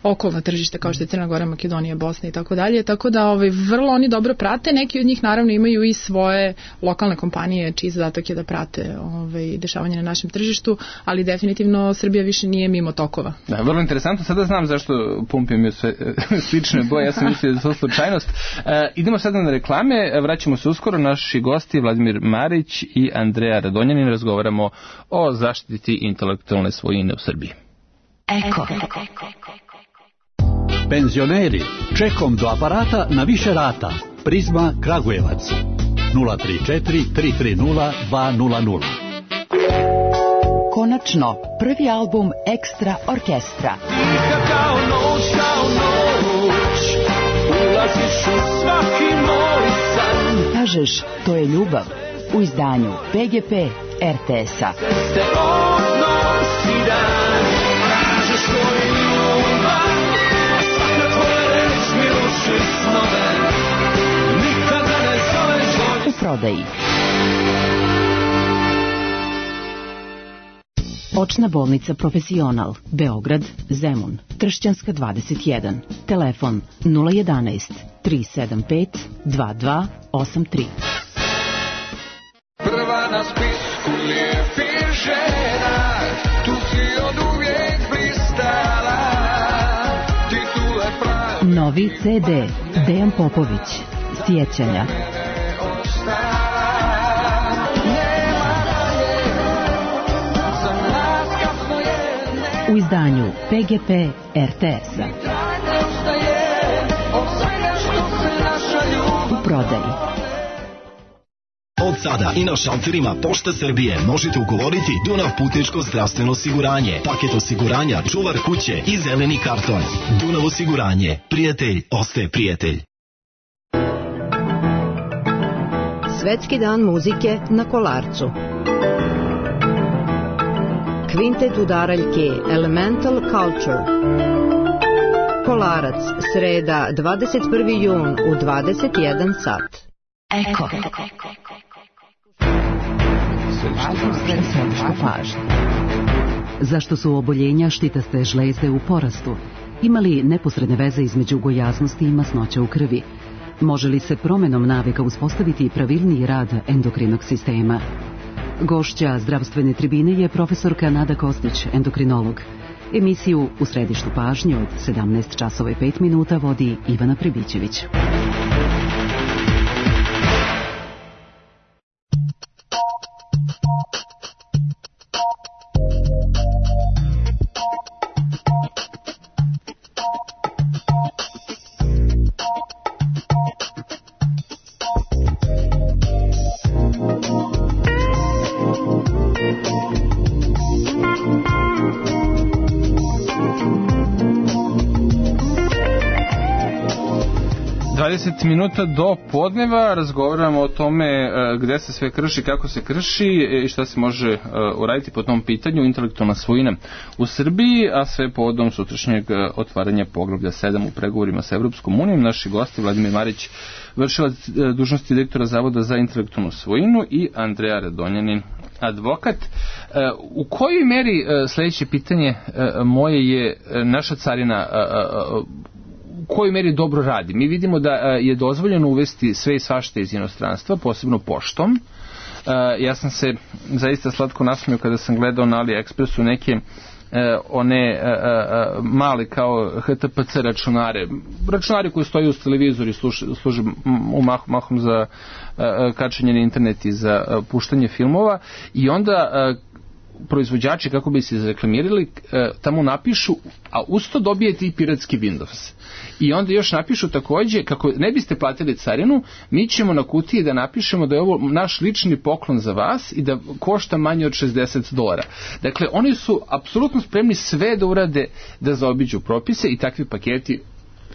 okolna tržišta kao što je Crna Gora, Makedonija, Bosna i tako dalje, tako da ovaj, vrlo oni dobro prate, neki od njih naravno imaju i svoje lokalne kompanije čiji zadatak je da prate ovaj, dešavanje na našem tržištu, ali definitivno Srbija više nije mimo tokova. Da, vrlo interesantno, sada znam zašto pumpe imaju sve slične boje, ja sam mislio da je to slučajnost. E, idemo sada na reklame, vraćamo se uskoro, naši gosti Vladimir Marić i Andreja Radonjanin, razgovaramo o zaštiti intelektualne svojine u Srbiji. Eko. Penzioneri, čekom do aparata na više rata. Prizma Kragujevac nula tri četiri tri tri nula dva nula nula. Konačno, prvi album Ekstra Orkestra. Tiha kao noć, kao noć, ulaziš u svaki moj san. Kažeš, to je ljubav, u izdanju P G P R T S-a. Ste odnosi dan, kažeš to je ljubav, svaka tvoja reč mi ruši snove, nikada ne zoveš ovdje. U prodaji. Očna bolnica Profesional, Beograd, Zemun, Tršćanska dvadeset jedan, telefon nula jedanaest tri sedam pet dva dva osam tri. Prva na spisku lijepih žena, tu si od uvijek blistala, titule pravi. Novi C D, Dejan Popović, Sjećanja. U izdanju P G P R T S-a. U prodaji. Od sada i na šalterima Pošte Srbije možete ugovoriti Dunav putničko zdravstveno osiguranje, paket osiguranja, čuvar kuće i zeleni karton. Dunav osiguranje. Prijatelj ostaje prijatelj. Svetski dan muzike na Kolarcu. Kvintet udaraljke Elemental Culture. Kolarac, sreda, dvadeset prvi jun u dvadeset jedan sat. Eko. Središte pažnje. Zašto su oboljenja štitaste žlezde u porastu? Ima li neposredne veze između gojaznosti i masnoća u krvi? Može li se promenom navika uspostaviti pravilniji rad endokrinog sistema? Gošća zdravstvene tribine je profesorka Nada Kostić, endokrinolog. Emisiju U središtu pažnje od sedamnaest časova i pet minuta vodi Ivana Prebićević. dvadeset minuta do podneva razgovaramo o tome gde se sve krši, kako se krši i šta se može uraditi po tom pitanju intelektualna svojina u Srbiji, a sve povodom sutrašnjeg otvaranja poglavlja sedam u pregovorima sa Evropskom unijom. Naši gosti Vladimir Marić, vršilac dužnosti direktora Zavoda za intelektualnu svojinu, i Andreja Radonjanin, advokat. U kojoj meri, sledeće pitanje moje je, naša carina u kojoj meri dobro radi? Mi vidimo da je dozvoljeno uvesti sve i svašta iz inostranstva, posebno poštom. Ja sam se zaista slatko nasmio kada sam gledao na AliExpressu neke one mali kao H T P C računare, računari koji stoji uz televizor i služe mahom za kačenje na internet i za puštanje filmova, i onda proizvođači, kako bi se izreklamirali, tamo napišu, a usto dobijete i piratski Windows. I onda još napišu takođe, kako ne biste platili carinu, mi ćemo na kutiji da napišemo da je ovo naš lični poklon za vas i da košta manje od šezdeset dolara. Dakle, oni su apsolutno spremni sve da urade da zaobiđu propise, i takvi paketi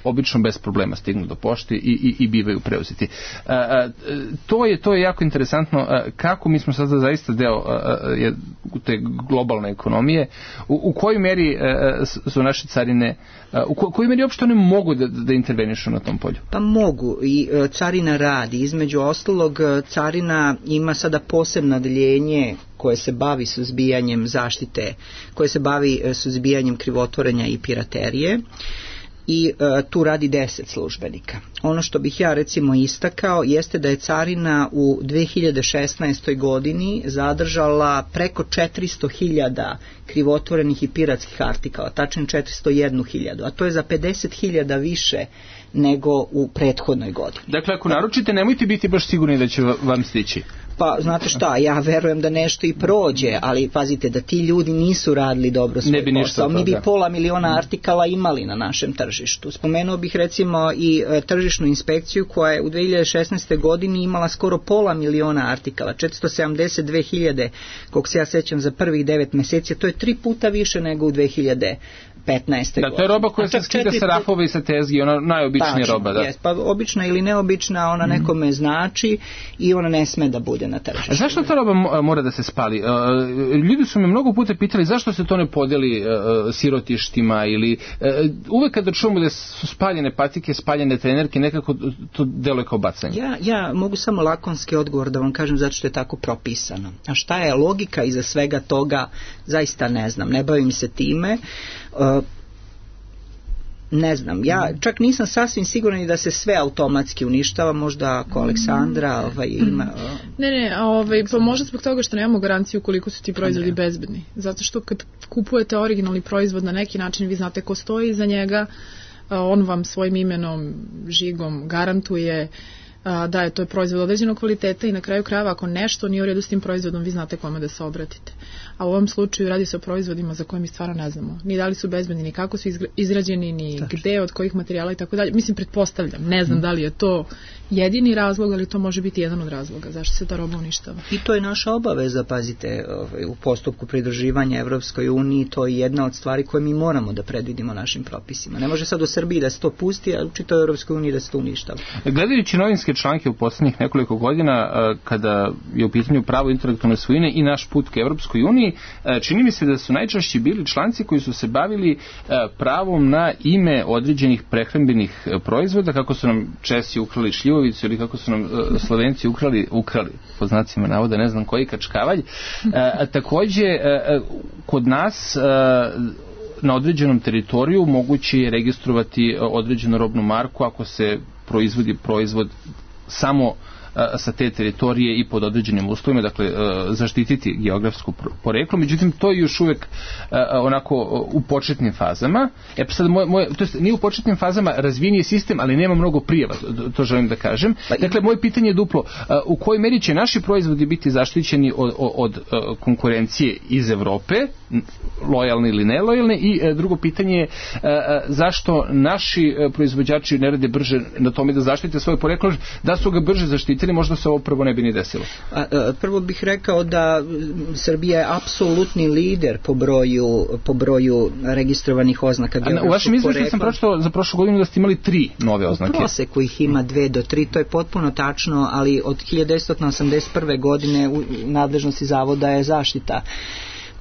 obično bez problema stignu do pošte i, i, i bivaju preuzeti. A, a, to, je, to je jako interesantno, a, kako mi smo sada zaista deo a, a, te globalne ekonomije, u, u kojoj meri a, su naše carine, a, u ko, kojoj meri uopšte one mogu da, da intervenišu na tom polju? Pa mogu, i a, carina radi. Između ostalog, carina ima sada posebno odeljenje koje se bavi suzbijanjem zaštite, koje se bavi suzbijanjem krivotvorenja i piraterije. I e, tu radi deset službenika. Ono što bih ja recimo istakao jeste da je carina u dve hiljade šesnaestoj godini zadržala preko četiristo hiljada krivotvorenih i piratskih artikala, tačnije četiristo jednu hiljadu, a to je za pedeset hiljada više nego u prethodnoj godini. Dakle, ako naručite, nemojte biti baš sigurni da će vam stići. Pa, znate šta, ja verujem da nešto i prođe, ali pazite da ti ljudi nisu radili dobro svoj posao. Mi bi pola miliona artikala imali na našem tržištu. Spomenuo bih recimo i e, tržišnu inspekciju koja je u dve hiljade šesnaestoj godini imala skoro pola miliona artikala, četiristo sedamdeset dve hiljade, kog se ja sećam za prvih devet meseci, to je tri puta više nego u dve hiljade petnaestoj Da, to je roba koja se skida sa rafova i sa tezgi, ona najobičnija Tačno, roba. Da. Jest, pa obična ili neobična, ona nekome mm. znači i ona ne sme da bude na tržištu. A zašto ta roba mora da se spali? Ljudi su me mnogo puta pitali zašto se to ne podeli sirotištima, ili uvek kada čujemo da su spaljene patike, spaljene trenerke, nekako to deluje kao bacanje. Ja, ja mogu samo lakonski odgovor da vam kažem zato što je tako propisano. A šta je logika iza svega toga, zaista ne znam, ne bavim se time. Uh, ne znam, ja čak nisam sasvim siguran da se sve automatski uništava, možda ako Aleksandra ovaj, ima... Ne, ne, ovaj, pa možda zbog toga što nemamo garanciju koliko su ti proizvodi bezbedni. Zato što kad kupujete originalni proizvod na neki način, vi znate ko stoji iza njega, on vam svojim imenom, žigom garantuje da je to proizvod određenog kvaliteta i na kraju krajeva ako nešto nije u redu s tim proizvodom, vi znate kome da se obratite. A u ovom slučaju radi se o proizvodima za koje mi stvarno ne znamo. Ni da li su bezbedni, ni kako su izrađeni, ni Tačno. Gde, od kojih materijala i tako dalje. Mislim, pretpostavljam, ne znam mm. da li je to jedini razlog, ali to može biti jedan od razloga zašto se ta roba uništava. I to je naša obaveza, pazite, u postupku pridruživanja Evropskoj uniji, to je jedna od stvari koje mi moramo da predvidimo našim propisima. Ne može sad u Srbiji da se to pusti, a u čitavoj Evropskoj uniji da se to uništava. Gledajući novinske medijske članke u posljednjih nekoliko godina kada je u pitanju pravo intelektualne svojine i naš put ka Evropskoj uniji, čini mi se da su najčešće bili članci koji su se bavili pravom na ime određenih prehrambenih proizvoda, kako su nam Česi ukrali šljivovicu ili kako su nam Slovenci ukrali, ukrali po znacima navoda, ne znam koji kačkavalj. Takođe, kod nas na određenom teritoriju moguće je registrovati određenu robnu marku ako se proizvodi proizvod samo sa te teritorije i pod određenim uslovima, dakle zaštititi geografsko poreklo, međutim to je još uvek onako u početnim fazama. E pa sad moje, moje, to jest nije u početnim fazama, razvijen je sistem, ali nema mnogo prijava, to želim da kažem. Dakle, moje pitanje je duplo, u kojoj meri će naši proizvodi biti zaštićeni od, od konkurencije iz Evrope, lojalne ili nelojalne, i drugo pitanje je zašto naši proizvođači ne rade brže na tome da zaštite svoje poreklo, da su ga brže zaštitili, možda se ovo prvo ne bi ni desilo. A, a, prvo bih rekao da Srbija je apsolutni lider po broju, po broju registrovanih oznaka geografskog porekla. U vašem izveštaju sam pročitao za prošlu godinu da ste imali tri nove oznake. U proseku ih ima dve do tri, to je potpuno tačno, ali od hiljadu devetsto osamdeset prve godine u nadležnosti zavoda je zaštita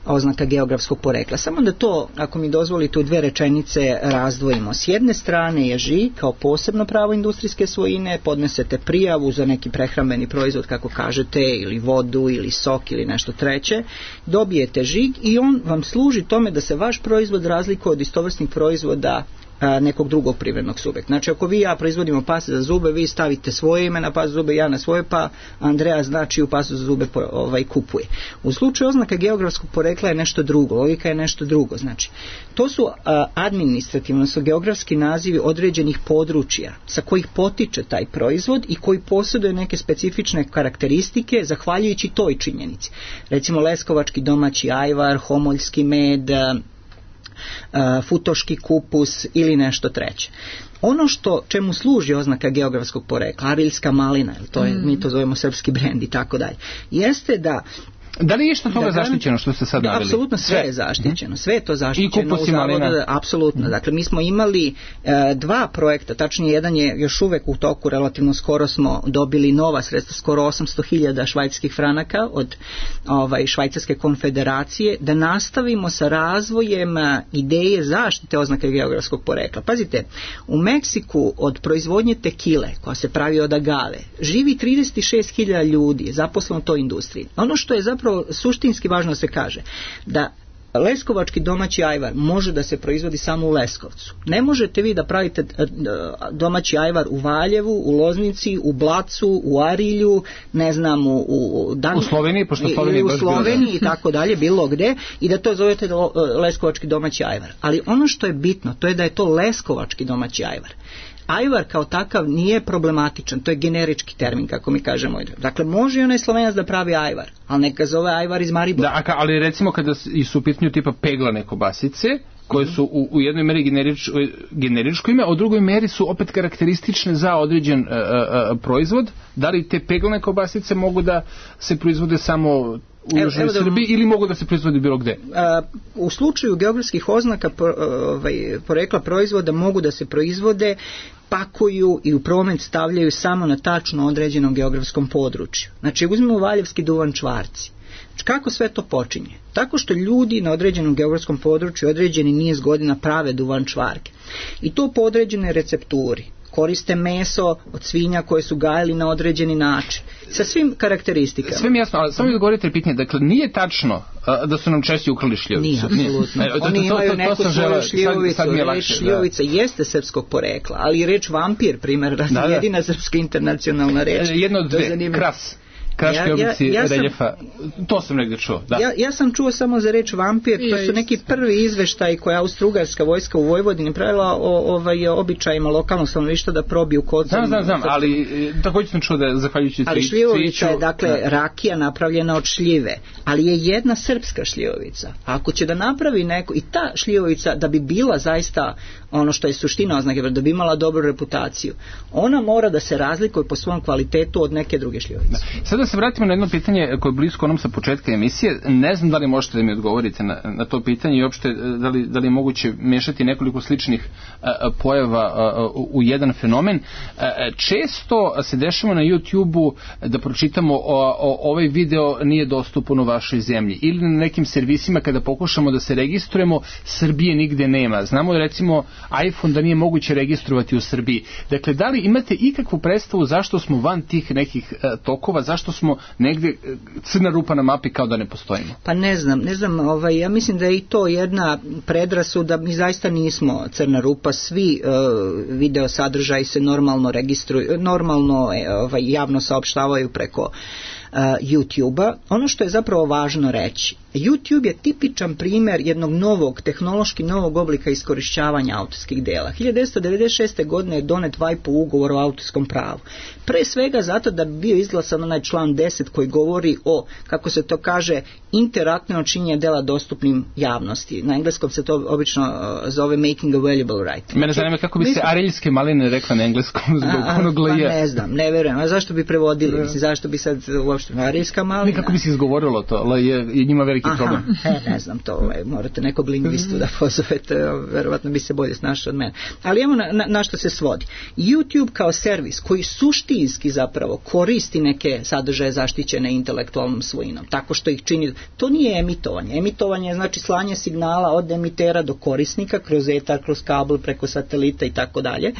oznaka geografskog porekla. Samo da to, ako mi dozvolite, u dve rečenice razdvojimo. S jedne strane je žig kao posebno pravo industrijske svojine, podnesete prijavu za neki prehrambeni proizvod, kako kažete, ili vodu, ili sok, ili nešto treće, dobijete žig i on vam služi tome da se vaš proizvod razlikuje od istovrsnih proizvoda nekog drugog privrednog subjekta. Znači, ako vi i ja proizvodimo paste za zube, vi stavite svoje ime na paste za zube, ja na svoje, pa Andreja znači u pastu za zube ovaj, kupuje. U slučaju oznaka geografskog porekla je nešto drugo, logika je nešto drugo. Znači, to su a, administrativno, su geografski nazivi određenih područja sa kojih potiče taj proizvod i koji posjeduje neke specifične karakteristike zahvaljujući toj činjenici. Recimo, leskovački domaći ajvar, homoljski med, Uh, futoški kupus ili nešto treće. Ono što čemu služi oznaka geografskog porekla, arilska malina, to je, mm. mi to zovemo srpski brend i tako dalje, jeste da da li je što toga da, zaštićeno što ste sad naveli? Apsolutno sve, sve je zaštićeno, sve je to zaštićeno. I kupus i malina? Apsolutno, dakle mi smo imali e, dva projekta, tačnije jedan je još uvek u toku, relativno skoro smo dobili nova sredstva, skoro osamsto hiljada švajcarskih franaka od ovaj, Švajcarske konfederacije, da nastavimo sa razvojem ideje zaštite oznake geografskog porekla. Pazite, u Meksiku od proizvodnje tekile, koja se pravi od agave, živi trideset šest hiljada ljudi zaposleno u toj industriji. Ono što je zapravo suštinski važno se kaže, da leskovački domaći ajvar može da se proizvodi samo u Leskovcu. Ne možete vi da pravite domaći ajvar u Valjevu, u Loznici, u Blacu, u Arilju, ne znam, u, u, Dan... u Sloveniji, pošto Sloveniji, u Sloveniji i tako dalje, bilo gde, i da to zovete leskovački domaći ajvar. Ali ono što je bitno, to je da je to leskovački domaći ajvar. Ajvar kao takav nije problematičan, to je generički termin, kako mi kažemo. Dakle, može i onaj Slovenac da pravi ajvar, ali neka zove ajvar iz Maribora. Da, ali recimo kada su u pitanju tipa peglane kobasice, koje su u, u jednoj meri generič, generičko ime, a u drugoj meri su opet karakteristične za određen uh, uh, proizvod, da li te peglane kobasice mogu da se proizvode samo u Južnoj da, Srbiji ili mogu da se proizvodi bilo gde? A, u slučaju geografskih oznaka ovaj, porekla proizvoda mogu da se proizvode, pakuju i u promet stavljaju samo na tačno određenom geografskom području. Znači, uzmemo valjevski duvan čvarci. Kako sve to počinje? Tako što ljudi na određenom geografskom području određeni niz godina prave duvan čvarke. I to po određenoj recepturi. Koriste meso od svinja koje su gajili na određeni način. Sa svim karakteristikama. Sve mi jasno, ali samo mi odgovorite pitanje. Dakle, nije tačno a, da su nam Česi ukrali šljivovicu. Nije, apsolutno. Nije. to, Oni imaju to, to, neku to svoju šljivovicu. Sad, sad reč šljivovica da. Jeste srpskog porekla, ali reč vampir, primjer, da, da. jedina srpska internacionalna reč. Jedna od dve, kras. Kraške oblici ja, ja, ja reljefa, to sam negdje čuo. Da. Ja, ja sam čuo samo za reč vampir, to su neki prvi izveštaj koje Austro-Ugarska vojska u Vojvodini pravila o ovaj, običajima lokalnog stanovništva da probiju kod. Znam, znam, znam, ali također sam čuo da zahvaljujući ali šljivovica je, dakle, da. rakija napravljena od šljive, ali je jedna srpska šljivovica. Ako će da napravi neko, i ta šljivovica da bi bila zaista ono što je suština oznake, da bi imala dobru reputaciju, ona mora da se razlikuje po svom kvalitetu od neke druge šljivovice. Da. Sada se vratimo na jedno pitanje koje je blisko onom sa početka emisije. Ne znam da li možete da mi odgovorite na, na to pitanje i uopšte da li, da li je moguće mešati nekoliko sličnih a, pojava a, u jedan fenomen. A, često se dešava na YouTube-u da pročitamo o, o, ovaj video nije dostupan u vašoj zemlji ili na nekim servisima kada pokušamo da se registrujemo, Srbije nigde nema. Znamo recimo iPhone da nije moguće registrovati u Srbiji. Dakle, da li imate ikakvu predstavu zašto smo van tih nekih a, tokova, zašto smo negde crna rupa na mapi kao da ne postojimo? Pa ne znam, ne znam, ovaj, ja mislim da je i to jedna predrasuda, mi zaista nismo crna rupa, svi uh, video sadržaji se normalno registruju, normalno ovaj, javno saopštavaju preko uh, YouTube-a. Ono što je zapravo važno reći, YouTube je tipičan primjer jednog novog, tehnološki novog oblika iskorišćavanja autorskih dela. hiljadu devetsto devedeset šeste. godine je donet V I P-u ugovor o autorskom pravu. Pre svega zato da bi bio izglasan onaj član deset koji govori o, kako se to kaže, interaktivno činjenje dela dostupnim javnosti. Na engleskom se to obično uh, zove making available right. Mene zanima kako bi se ariljske maline rekla na engleskom zbog onog L J. Pa ne znam, ne verujem. A zašto bi prevodili? Mislim, zašto bi sad uopšte ariljska malina? Kako bi se izgovorilo to? L J je njima veliki problem. E, ne znam to, ovaj, morate nekog lingvistu da pozovete, verovatno bi se bolje snašao od mene. Ali evo na, na, na što se svodi. YouTube kao servis koji suštinski zapravo koristi neke sadržaje zaštićene intelektualnom svojinom, tako što ih čini, to nije emitovanje. Emitovanje je znači slanje signala od emitera do korisnika kroz etar, kroz kabel, preko satelita i tako dalje.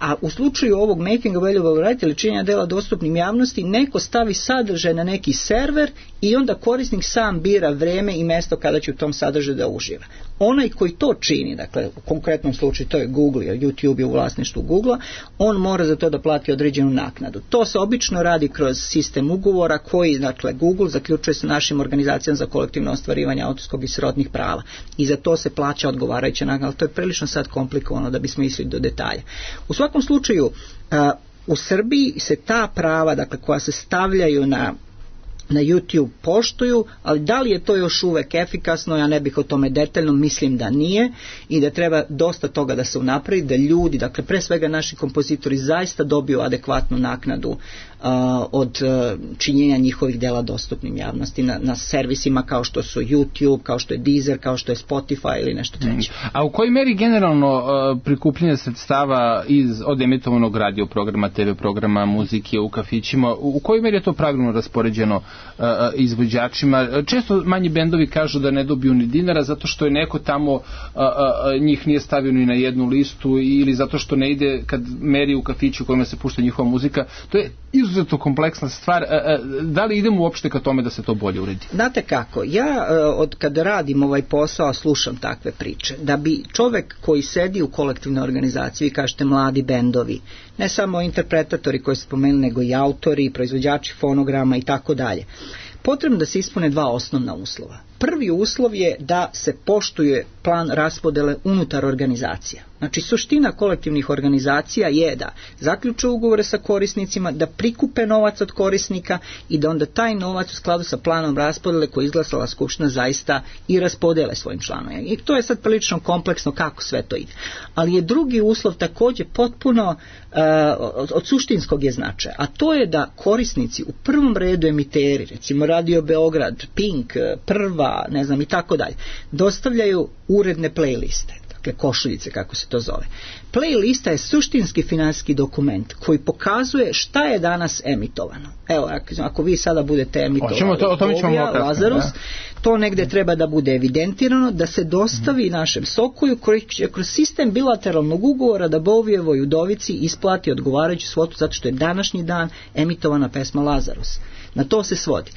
A u slučaju ovog making available right ili činjenja dela dostupnim javnosti, neko stavi sadržaj na neki server i onda korisnik sam bira vreme i mesto kada će u tom sadržaju da uživa. Onaj koji to čini, dakle u konkretnom slučaju to je Google, jer YouTube je u vlasništvu Googlea, on mora za to da plati određenu naknadu. To se obično radi kroz sistem ugovora koji, dakle, Google zaključuje sa našim organizacijama za kolektivno ostvarivanje autorskog i srodnih prava. I za to se plaća odgovarajuća naknada, ali to je prilično sad komplikovano da bismo išli do detalja. U svakom slučaju, a, u Srbiji se ta prava, dakle, koja se stavljaju na na YouTube poštuju, ali da li je to još uvek efikasno, ja ne bih o tome detaljno, mislim da nije i da treba dosta toga da se unapravi, da ljudi, dakle pre svega naši kompozitori zaista dobiju adekvatnu naknadu uh, od uh, činjenja njihovih dela dostupnim javnosti na, na servisima kao što su YouTube, kao što je Deezer, kao što je Spotify ili nešto treće. A u kojoj meri generalno uh, prikupljanje sredstava iz, od emitovanog radio programa, T V programa, muzike u kafićima, u, u kojoj meri je to pravilno raspoređeno izvođačima? Često manji bendovi kažu da ne dobiju ni dinara zato što je neko tamo a, a, njih nije stavio ni na jednu listu ili zato što ne ide kad meri u kafiću u kojima se pušta njihova muzika. To je izuzetno kompleksna stvar. A, a, da li idemo uopšte ka tome da se to bolje uredi? Znate kako, ja od kada radim ovaj posao slušam takve priče. Da bi čovek koji sedi u kolektivnoj organizaciji, vi kažete mladi bendovi, ne samo interpretatori koji ste spomenuli, nego i autori, proizvođači fonograma i tako dalje, potrebno da se ispune dva osnovna uslova. Prvi uslov je da se poštuje plan raspodele unutar organizacija. Znači, suština kolektivnih organizacija je da zaključe ugovore sa korisnicima, da prikupe novac od korisnika i da onda taj novac u skladu sa planom raspodele koji je izglasala Skupština zaista i raspodele svojim članovima. I to je sad prilično kompleksno kako sve to ide. Ali je drugi uslov također potpuno uh, od, od suštinskog je značaja, a to je da korisnici u prvom redu emiteri, recimo Radio Beograd, Pink, Prva, ne znam i tako dalje, dostavljaju uredne playliste, dakle košuljice kako se to zove. Playlista je suštinski finansijski dokument koji pokazuje šta je danas emitovano. Evo, ako vi sada budete emitovali to, Bovija, Lazarus, da. To negde treba da bude evidentirano, da se dostavi mm. našem Sokoju koji će kroz sistem bilateralnog ugovora da Bovijevoj udovici isplati odgovarajuću svotu zato što je današnji dan emitovana pesma Lazarus. Na to se svodi.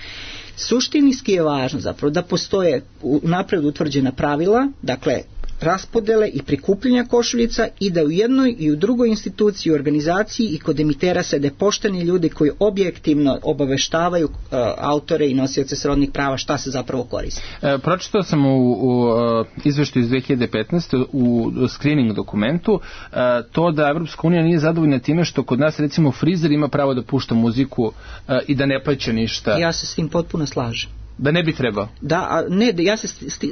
Suštinski je važno zapravo da postoje napred utvrđena pravila, dakle raspodele i prikupljanja košuljica i da u jednoj i u drugoj instituciji, organizaciji i kod emitera sede pošteni ljudi koji objektivno obaveštavaju uh, autore i nosioce srodnih prava šta se zapravo koristi. E, pročitao sam u, u uh, izveštaju iz dve hiljade petnaeste u screening dokumentu uh, to da Evropska unija nije zadovoljna time što kod nas recimo frizer ima pravo da pušta muziku uh, i da ne plaća ništa. Ja se s tim potpuno slažem. Da ne bi trebao? Da, a ne, ja se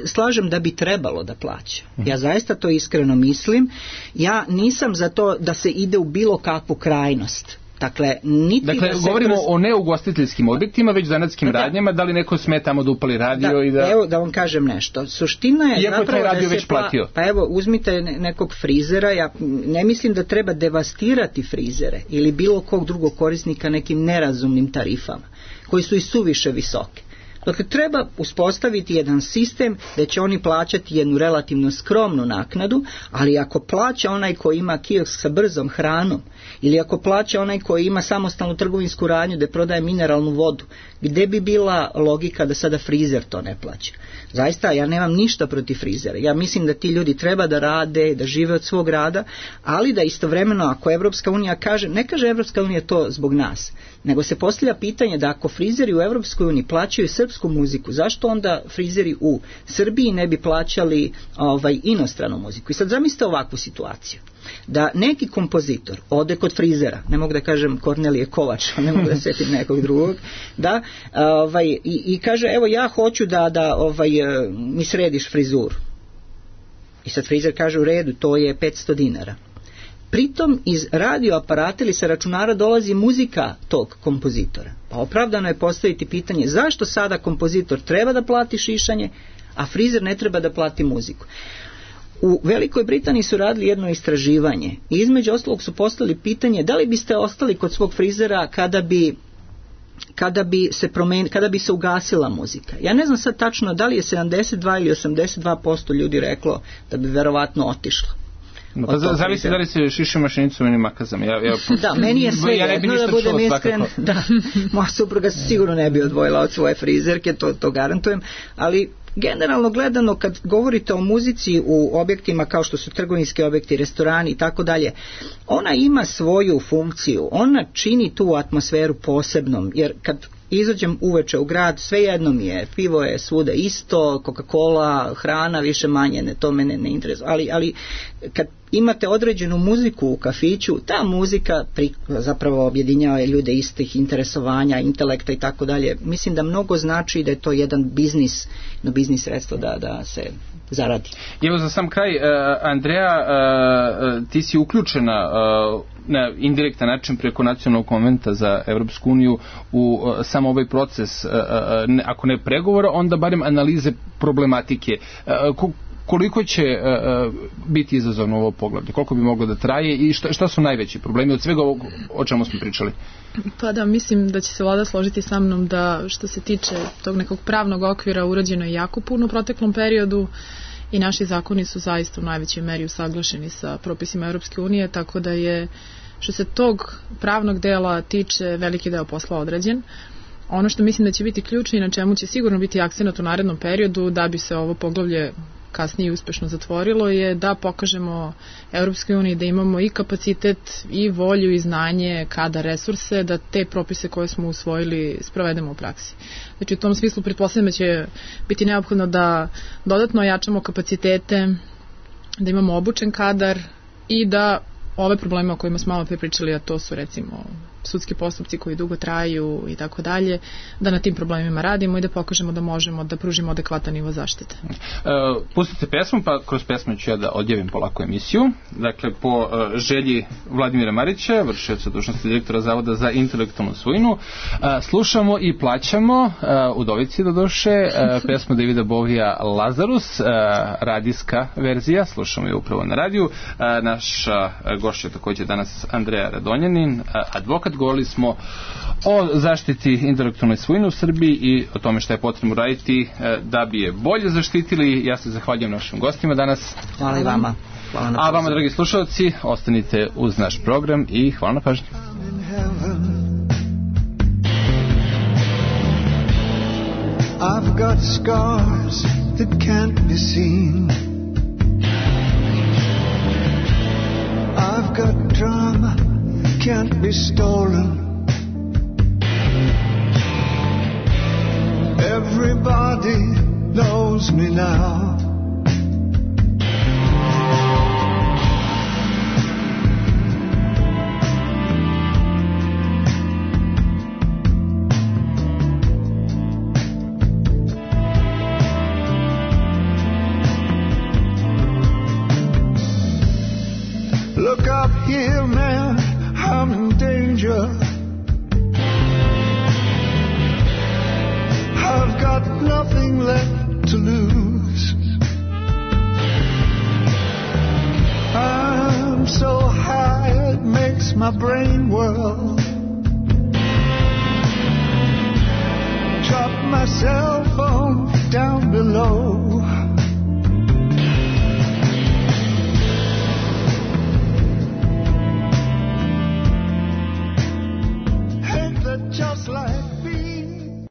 slažem da bi trebalo da plaća. Ja zaista to iskreno mislim. Ja nisam za to da se ide u bilo kakvu krajnost. Dakle, niti dakle da se govorimo kroz... o neugostiteljskim objektima, već zanatskim da, radnjama, da li neko sme tamo da upali radio da, i da... Evo da vam kažem nešto. Suština je iako zapravo je radio da već se platio. Pla... Pa evo, uzmite nekog frizera, ja ne mislim da treba devastirati frizere ili bilo kog drugog korisnika nekim nerazumnim tarifama, koji su i suviše visoke. Dakle, treba uspostaviti jedan sistem da će oni plaćati jednu relativno skromnu naknadu, ali ako plaća onaj koji ima kiosk sa brzom hranom, ili ako plaća onaj koji ima samostalnu trgovinsku radnju da prodaje mineralnu vodu, gde bi bila logika da sada frizer to ne plaća? Zaista, ja nemam ništa protiv frizera. Ja mislim da ti ljudi treba da rade, da žive od svog rada, ali da istovremeno, ako Evropska unija kaže, ne kaže Evropska unija to zbog nas, nego se postavlja pitanje da ako frizeri u Evropskoj uniji plaćaju srpsku muziku, zašto onda frizeri u Srbiji ne bi plaćali ovaj, inostranu muziku? I sad zamislite ovakvu situaciju. Da neki kompozitor ode kod frizera, ne mogu da kažem Kornelije Kovač, ne mogu da setim nekog drugog, da, ovaj, i, i kaže, evo ja hoću da, da ovaj, mi središ frizuru. I sad frizer kaže, u redu, to je petsto dinara. Pritom iz radioaparata ili sa računara dolazi muzika tog kompozitora. Pa opravdano je postaviti pitanje zašto sada kompozitor treba da plati šišanje, a frizer ne treba da plati muziku. U Velikoj Britaniji su radili jedno istraživanje i između ostalog su postavili pitanje da li biste ostali kod svog frizera kada bi kada bi se promen, kada bi se ugasila muzika. Ja ne znam sad tačno da li je sedamdeset dva ili osamdeset dva posto ljudi reklo da bi verovatno otišlo. Pa zavisi da li se šiši mašinicom ili makazom. Ja, ja, da, meni je sve ja jedno da budem iskren. Da, moja supruga se sigurno ne bi odvojila od svoje frizerke, to, to garantujem, ali generalno gledano kad govorite o muzici u objektima kao što su trgovinski objekti, restorani i tako dalje, ona ima svoju funkciju, ona čini tu atmosferu posebnom, jer kad izađem uveče u grad, sve jedno mi je, pivo je svuda isto, Coca-Cola, hrana više manje, ne, to mene ne interesuje, ali, ali kad imate određenu muziku u kafiću, ta muzika pri, zapravo objedinjava ljude istih interesovanja, intelekta i tako dalje. Mislim da mnogo znači da je to jedan biznis, no biznis sredstvo da, da se zaradi. Evo za sam kraj, uh, Andreja, uh, ti si uključena uh, na indirektan način preko Nacionalnog konventa za Evropsku uniju u uh, samo ovaj proces, uh, uh, ne, ako ne pregovora, onda barem analize problematike. Uh, ko, koliko će uh, biti izazovno ovo poglavlje, koliko bi moglo da traje i šta, šta su najveći problemi od svega ovog o čemu smo pričali? Pa da, mislim da će se vlada složiti sa mnom da što se tiče tog nekog pravnog okvira urađeno je jako puno u proteklom periodu i naši zakoni su zaista u najvećoj meri usaglašeni sa propisima Europske unije, tako da je što se tog pravnog dela tiče veliki deo posla odrađen. Ono što mislim da će biti ključno i na čemu će sigurno biti akcenat u narednom periodu da bi se ovo poglavlje kasnije uspešno zatvorilo je da pokažemo Europskoj uniji da imamo i kapacitet i volju i znanje, kada resurse, da te propise koje smo usvojili sprovedemo u praksi. Znači u tom smislu pretpostavljam da će biti neophodno da dodatno ojačamo kapacitete, da imamo obučen kadar i da ove probleme o kojima smo malo prepričali, a to su recimo sudski postupci koji dugo traju i tako dalje, da na tim problemima radimo i da pokažemo da možemo da pružimo adekvatan nivo zaštite. E, pustite pesmu, pa kroz pesmu ću ja da odjavim polako emisiju. Dakle, po e, želji Vladimira Marića, vršioca dužnosti direktora Zavoda za intelektualnu svojinu, e, slušamo i plaćamo e, udovici do duše e, pesmu Davida Bovija Lazarus, e, radijska verzija, slušamo je upravo na radiju. E, naša gošća također danas Andreja Radonjanin, advokat. Govorili smo o zaštiti intelektualne svojine u Srbiji i o tome što je potrebno raditi da bi je bolje zaštitili. Ja se zahvaljujem našim gostima danas. Hvala i vama. Hvala na A vama, dragi slušalci, ostanite uz naš program i hvala na pažnji. I've got scars that can't be seen. I've got drama can't be stolen. Everybody knows me now. Look up here, man, I'm in danger. my brain whirl. Drop my cell phone down below.